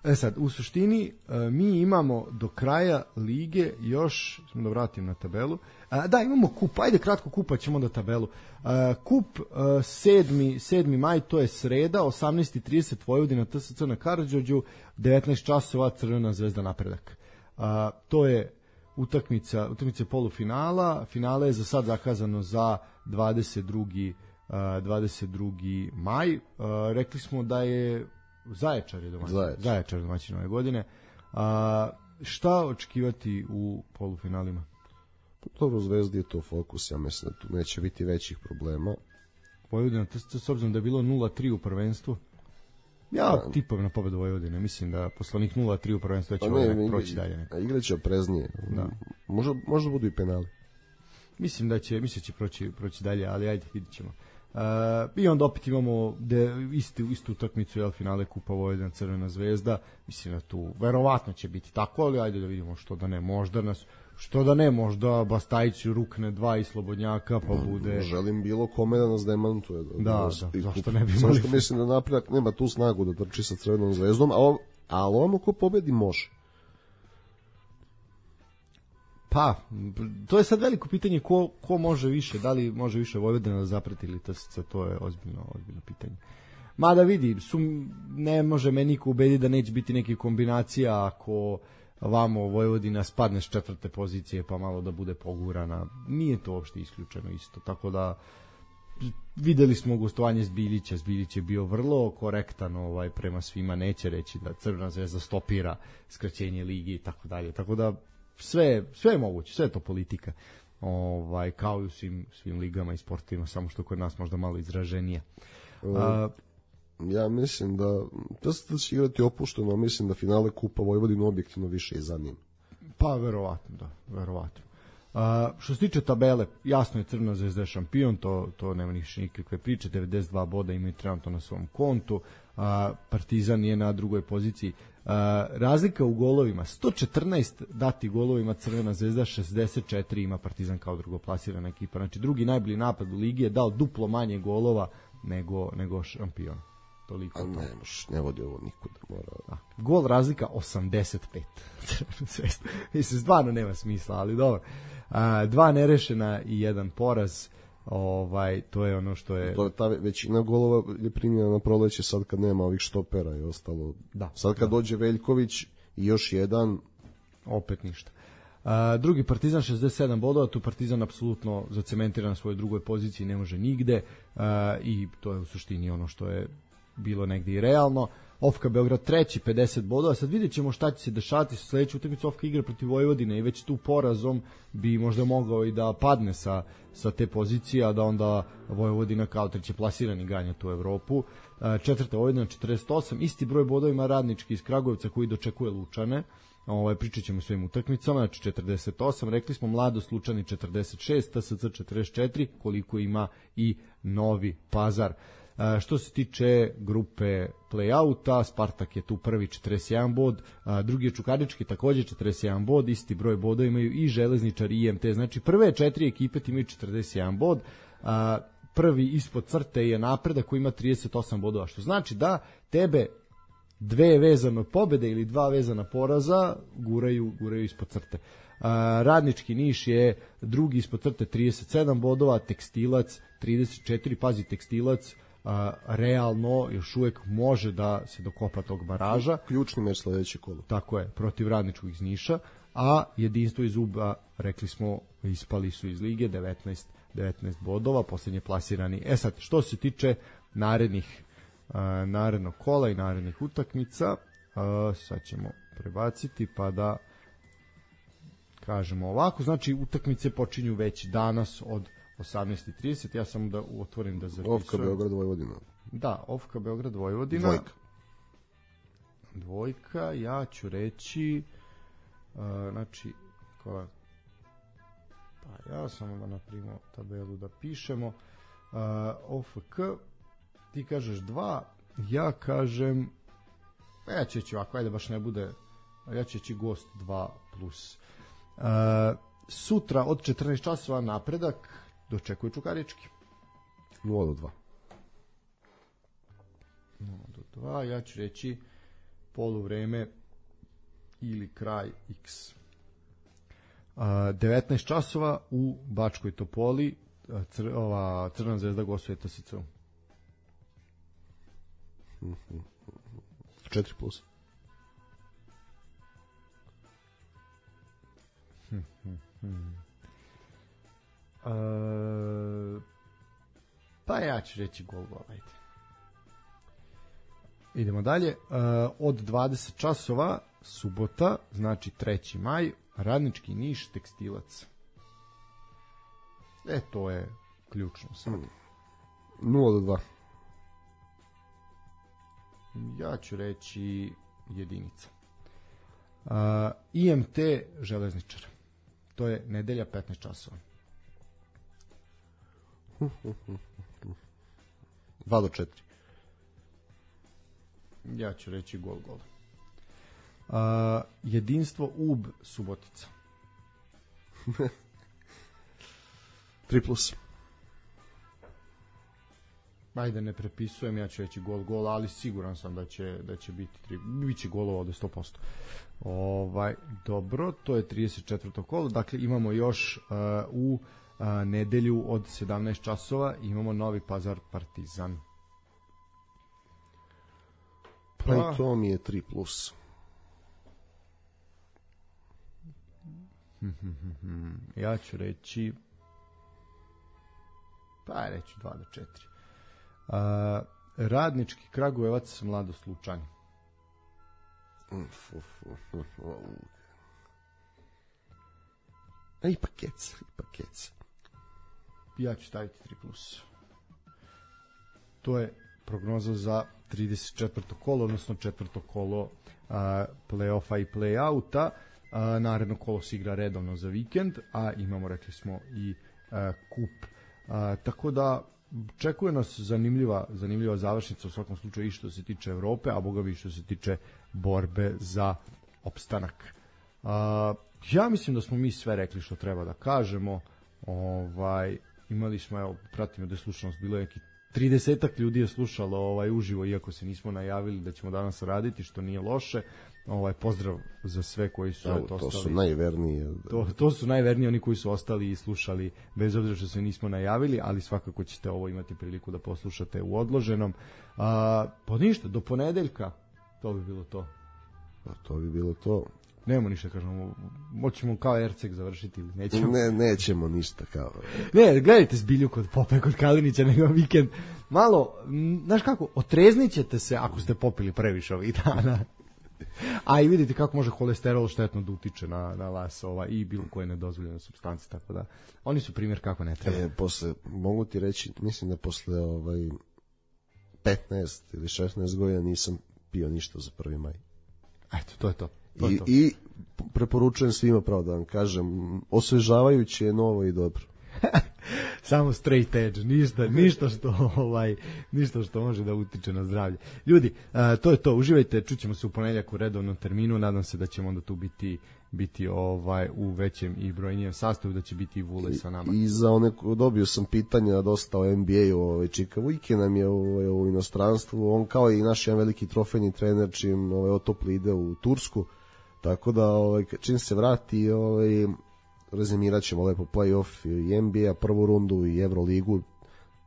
e sad, u suštini, uh, mi imamo do kraja lige još, smo da vratim na tabelu, uh, da, imamo kup, ajde kratko kupa, ćemo da tabelu. Uh, kup uh, sedmi maj, to je sreda, osamnaest i trideset Vojvodina T S C na Karađorđu, devetnaest časova Crvena zvezda Napredak. Uh, to je utakmica, utakmica polufinala, finale je za sad zakazano za dvadeset drugi maj. Uh, rekli smo da je Zaječar je domaćin, Zaječar, Zaječar domaćin ove godine. Uh, šta očekivati u polufinalima? Dobro, Zvezdi je to fokus, ja mislim da tu neće biti većih problema. Vojvodina, to s obzirom da je bilo nula tri u prvenstvu, ja da. Tipam na pobedu Vojvodine, mislim da posle onih nula tri u prvenstvu će ovaj proći dalje. Neko. Igraće opreznije, da. Možda, možda budu i penali. Mislim da će, mislim da će proći, proći dalje, ali ajde, vidit ćemo. Uh, I onda opet imamo de, istu, istu utakmicu, jel, finale Kupa Vojvodina Crvena zvezda, mislim da tu verovatno će biti tako, ali ajde da vidimo što da ne, možda nas što da ne, možda Bastajić rukne dva i Slobodnjaka, pa bude... Želim bilo kome da nas demantuje. Da, da, da, da zašto ne bi imali... Samo što mislim da Napredak nema tu snagu da trči sa Crvenom zvezdom, ali ono ko pobedi može. Pa, to je sad veliko pitanje ko, ko može više, da li može više Vojvodina da zaprati ili T S C, to je ozbiljno, ozbiljno pitanje. Mada vidi, sum, ne može me niko ubediti da neće biti neke kombinacija ako vamo Vojvodina spadne s četvrte pozicije pa malo da bude pogurana. Nije to uopšte isključeno isto, tako da videli smo gostovanje Zbiljića, Zbiljić je bio vrlo korektan ovaj, prema svima, neće reći da Crvena zvezda stopira skraćenje ligi i tako dalje, tako da sve, sve je moguće, sve je to politika. ovaj, kao i u svim, svim ligama i sportovima, samo što kod nas možda malo izraženije. A, ja mislim da da se će igrati opušteno, mislim da finale Kupa Vojvodine objektivno više i zanima. Pa verovatno, da, verovatno. A, što se tiče tabele, jasno je Crvena zvezda je šampion, to, to nema ništa nikakve priče, devedeset dva boda imaju trenutno na svom kontu, a, Partizan je na drugoj poziciji. A, razlika u golovima, sto četrnaest dati golovima Crvena zvezda, šezdeset četiri ima Partizan kao drugoplasirana ekipa, znači drugi najbolji napad u ligi je dao duplo manje golova nego, nego šampion. Toliko. A ne, moš, ne vodi ovo nikuda. Mora... A, gol razlika osamdeset pet. Mislim, stvarno nema smisla, ali dobro. A, dva nerešena i jedan poraz. Ovaj, to je ono što je... To je ta većina golova je primljena na proleće sad kad nema ovih štopera i ostalo. Da, sad kad da. dođe Veljković i još jedan... Opet ništa. A, drugi Partizan šezdeset sedam bodova, tu Partizan apsolutno zacementira na svojoj drugoj poziciji, ne može nigde a, i to je u suštini ono što je bilo negdje i realno. Ofka Beograd treći, pedeset bodova. Sad vidjet ćemo šta će se dešavati sa sledeću utakmicu. Ofka igra protiv Vojvodine i već tu porazom bi možda mogao i da padne sa, sa te pozicije, a da onda Vojvodina kao treće plasirani ganja tu Evropu. Četvrta Vojvodina četrdeset osam, isti broj bodova ima Radnički iz Kragujevca koji dočekuje Lučane. Ovaj, pričat ćemo o svojim utakmicama, znači četrdeset osam, rekli smo Mladost Lučani četrdeset šest, T S C četrdeset četiri, koliko ima i Novi Pazar. A, što se tiče grupe play-outa, Spartak je tu prvi četrdeset jedan bod, a, drugi je Čukarički takođe četrdeset jedan bod, isti broj bodova imaju i Železničar i I M T, znači prve četiri ekipe imaju četrdeset jedan bod, a, prvi ispod crte je Napredak koji ima trideset osam bodova, što znači da tebe dve vezane pobede ili dva vezana poraza guraju, guraju ispod crte. A, Radnički Niš je drugi ispod crte trideset sedam bodova, Tekstilac trideset četiri, pazi Tekstilac a, realno još uvek može da se dokopa tog baraža. Ključni meč sledeće kolo. Tako je, protiv Radničkog iz Niša, a Jedinstvo iz Uba, rekli smo, ispali su iz lige, devetnaest, devetnaest bodova, poslednje plasirani. E sad, što se tiče narednih a, narednog kola i narednih utakmica, a, sad ćemo prebaciti pa da kažemo ovako, znači utakmice počinju već danas od osamnaest i trideset, ja samo da otvorim da zapisujem. Ofka Beograd Vojvodina. Da, Ofka Beograd Vojvodina. Dvojka. Dvojka, ja ću reći uh, znači koja, pa ja samo da napravimo tabelu da pišemo. uh, O F K, ti kažeš dva, ja kažem ja ću reći ovako, ajde baš ne bude, ja ću reći Gost dva plus. Uh, sutra od četrnaest časova Napredak dočekuje Čukarički. nula do dva. nula do dva, ja ću reći poluvreme ili kraj X. Uh, devetnaest časova u Bačkoj Topoli, cr, ova Crvena zvezda gostuje T S C. četiri plus. Hmm, hmm, hmm. Uh, pa ja ću reći gol gol, ajde. Idemo dalje. Uh, od dvadeset časova subota, znači treći maj, Radnički Niš, Tekstilac. E, to je ključno sad. nula do dva. Ja ću reći jedinica. Uh, I M T Železničar. To je nedelja petnaest časova. dva do četiri. Ja ću reći gol gol. Uh, jedinstvo U B Subotica. tri plus. Ajde, ne prepisujem, ja ću reći gol gol, ali siguran sam da će da će biti tri, biće golova od sto posto. Ovaj, dobro, to je trideset četvrto kolo. Dakle imamo još uh, u uh, nedelju od sedamnaest časova imamo Novi Pazar Partizan. Pa i to mi je tri plus. Ja ću reći pa reći dva do četiri. Uh, Radnički Kragujevac Mladost Lučani. Uf, uf, uf, uf. A ipak keca, ipak keca. Ja ću staviti tri plus. To je prognoza za trideset četvrto kolo, odnosno četvrto kolo uh, play-offa i play-outa. Uh, naredno kolo se igra redovno za vikend, a imamo, rekli smo, i uh, kup. Uh, tako da čekuje nas zanimljiva, zanimljiva završnica u svakom slučaju i što se tiče Evrope, a boga bi što se tiče borbe za opstanak. Uh, ja mislim da smo mi sve rekli što treba da kažemo. Ovaj, imali smo, evo, pratimo da je slušanost bilo neki tridesetak ljudi je slušalo ovaj uživo, iako se nismo najavili da ćemo danas raditi, što nije loše. Ovaj pozdrav za sve koji su to, to su najverniji. To, to su najverniji oni koji su ostali i slušali bez obzira što se nismo najavili, ali svakako ćete ovo imati priliku da poslušate u odloženom. A, pa ništa, do ponedeljka to bi bilo to. Pa to bi bilo to. Nemamo ništa, kažemo, moćemo kao Erceg završiti ili nećemo? Ne, nećemo ništa kao. Ne, gledajte zbilju kod Pope, kod Kalinića, nego vikend. Malo, znaš kako, otreznit ćete se ako ste popili previše ovih dana. A i vidite kako može holesterol štetno da utiče na, na vas ova, i bilo koje nedozvoljene supstance, tako da oni su primjer kako ne treba. E, posle, mogu ti reći, mislim da posle ovaj, petnaest ili šesnaest godina nisam pio ništa za prvi maj. Eto, to je to. to, I, je to. I preporučujem svima, pravo da vam kažem, osvežavajuće je novo i dobro. Samo straight edge, ništa, ništa što ovaj, ništa što može da utiče na zdravlje. Ljudi, uh, to je to, uživajte, čućemo se u ponedjeljak u redovnom terminu, nadam se da ćemo onda tu biti biti ovaj u većem i brojnijem sastavu, da će biti i Vule sa nama. I, i za one, dobio sam pitanja dosta o N B A-u, ovaj, Čika Vujke nam je ovaj, u inostranstvu, on kao i naš jedan veliki trofejni trener čim ovaj, otopli ide u Tursku, tako da ovaj, čim se vrati, ovaj, rezimirat ćemo lepo play-off i N B A, prvu rundu i Euroligu,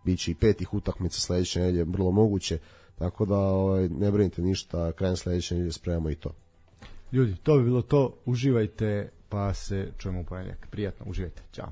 bit će i petih utakmica sledeće nedelje, vrlo moguće, tako da ovaj, ne brinite ništa, krajem sledeće nedelje spremamo i to. Ljudi, to bi bilo to, uživajte, pa se čujemo u ponedjeljak. Prijatno, uživajte, ćao.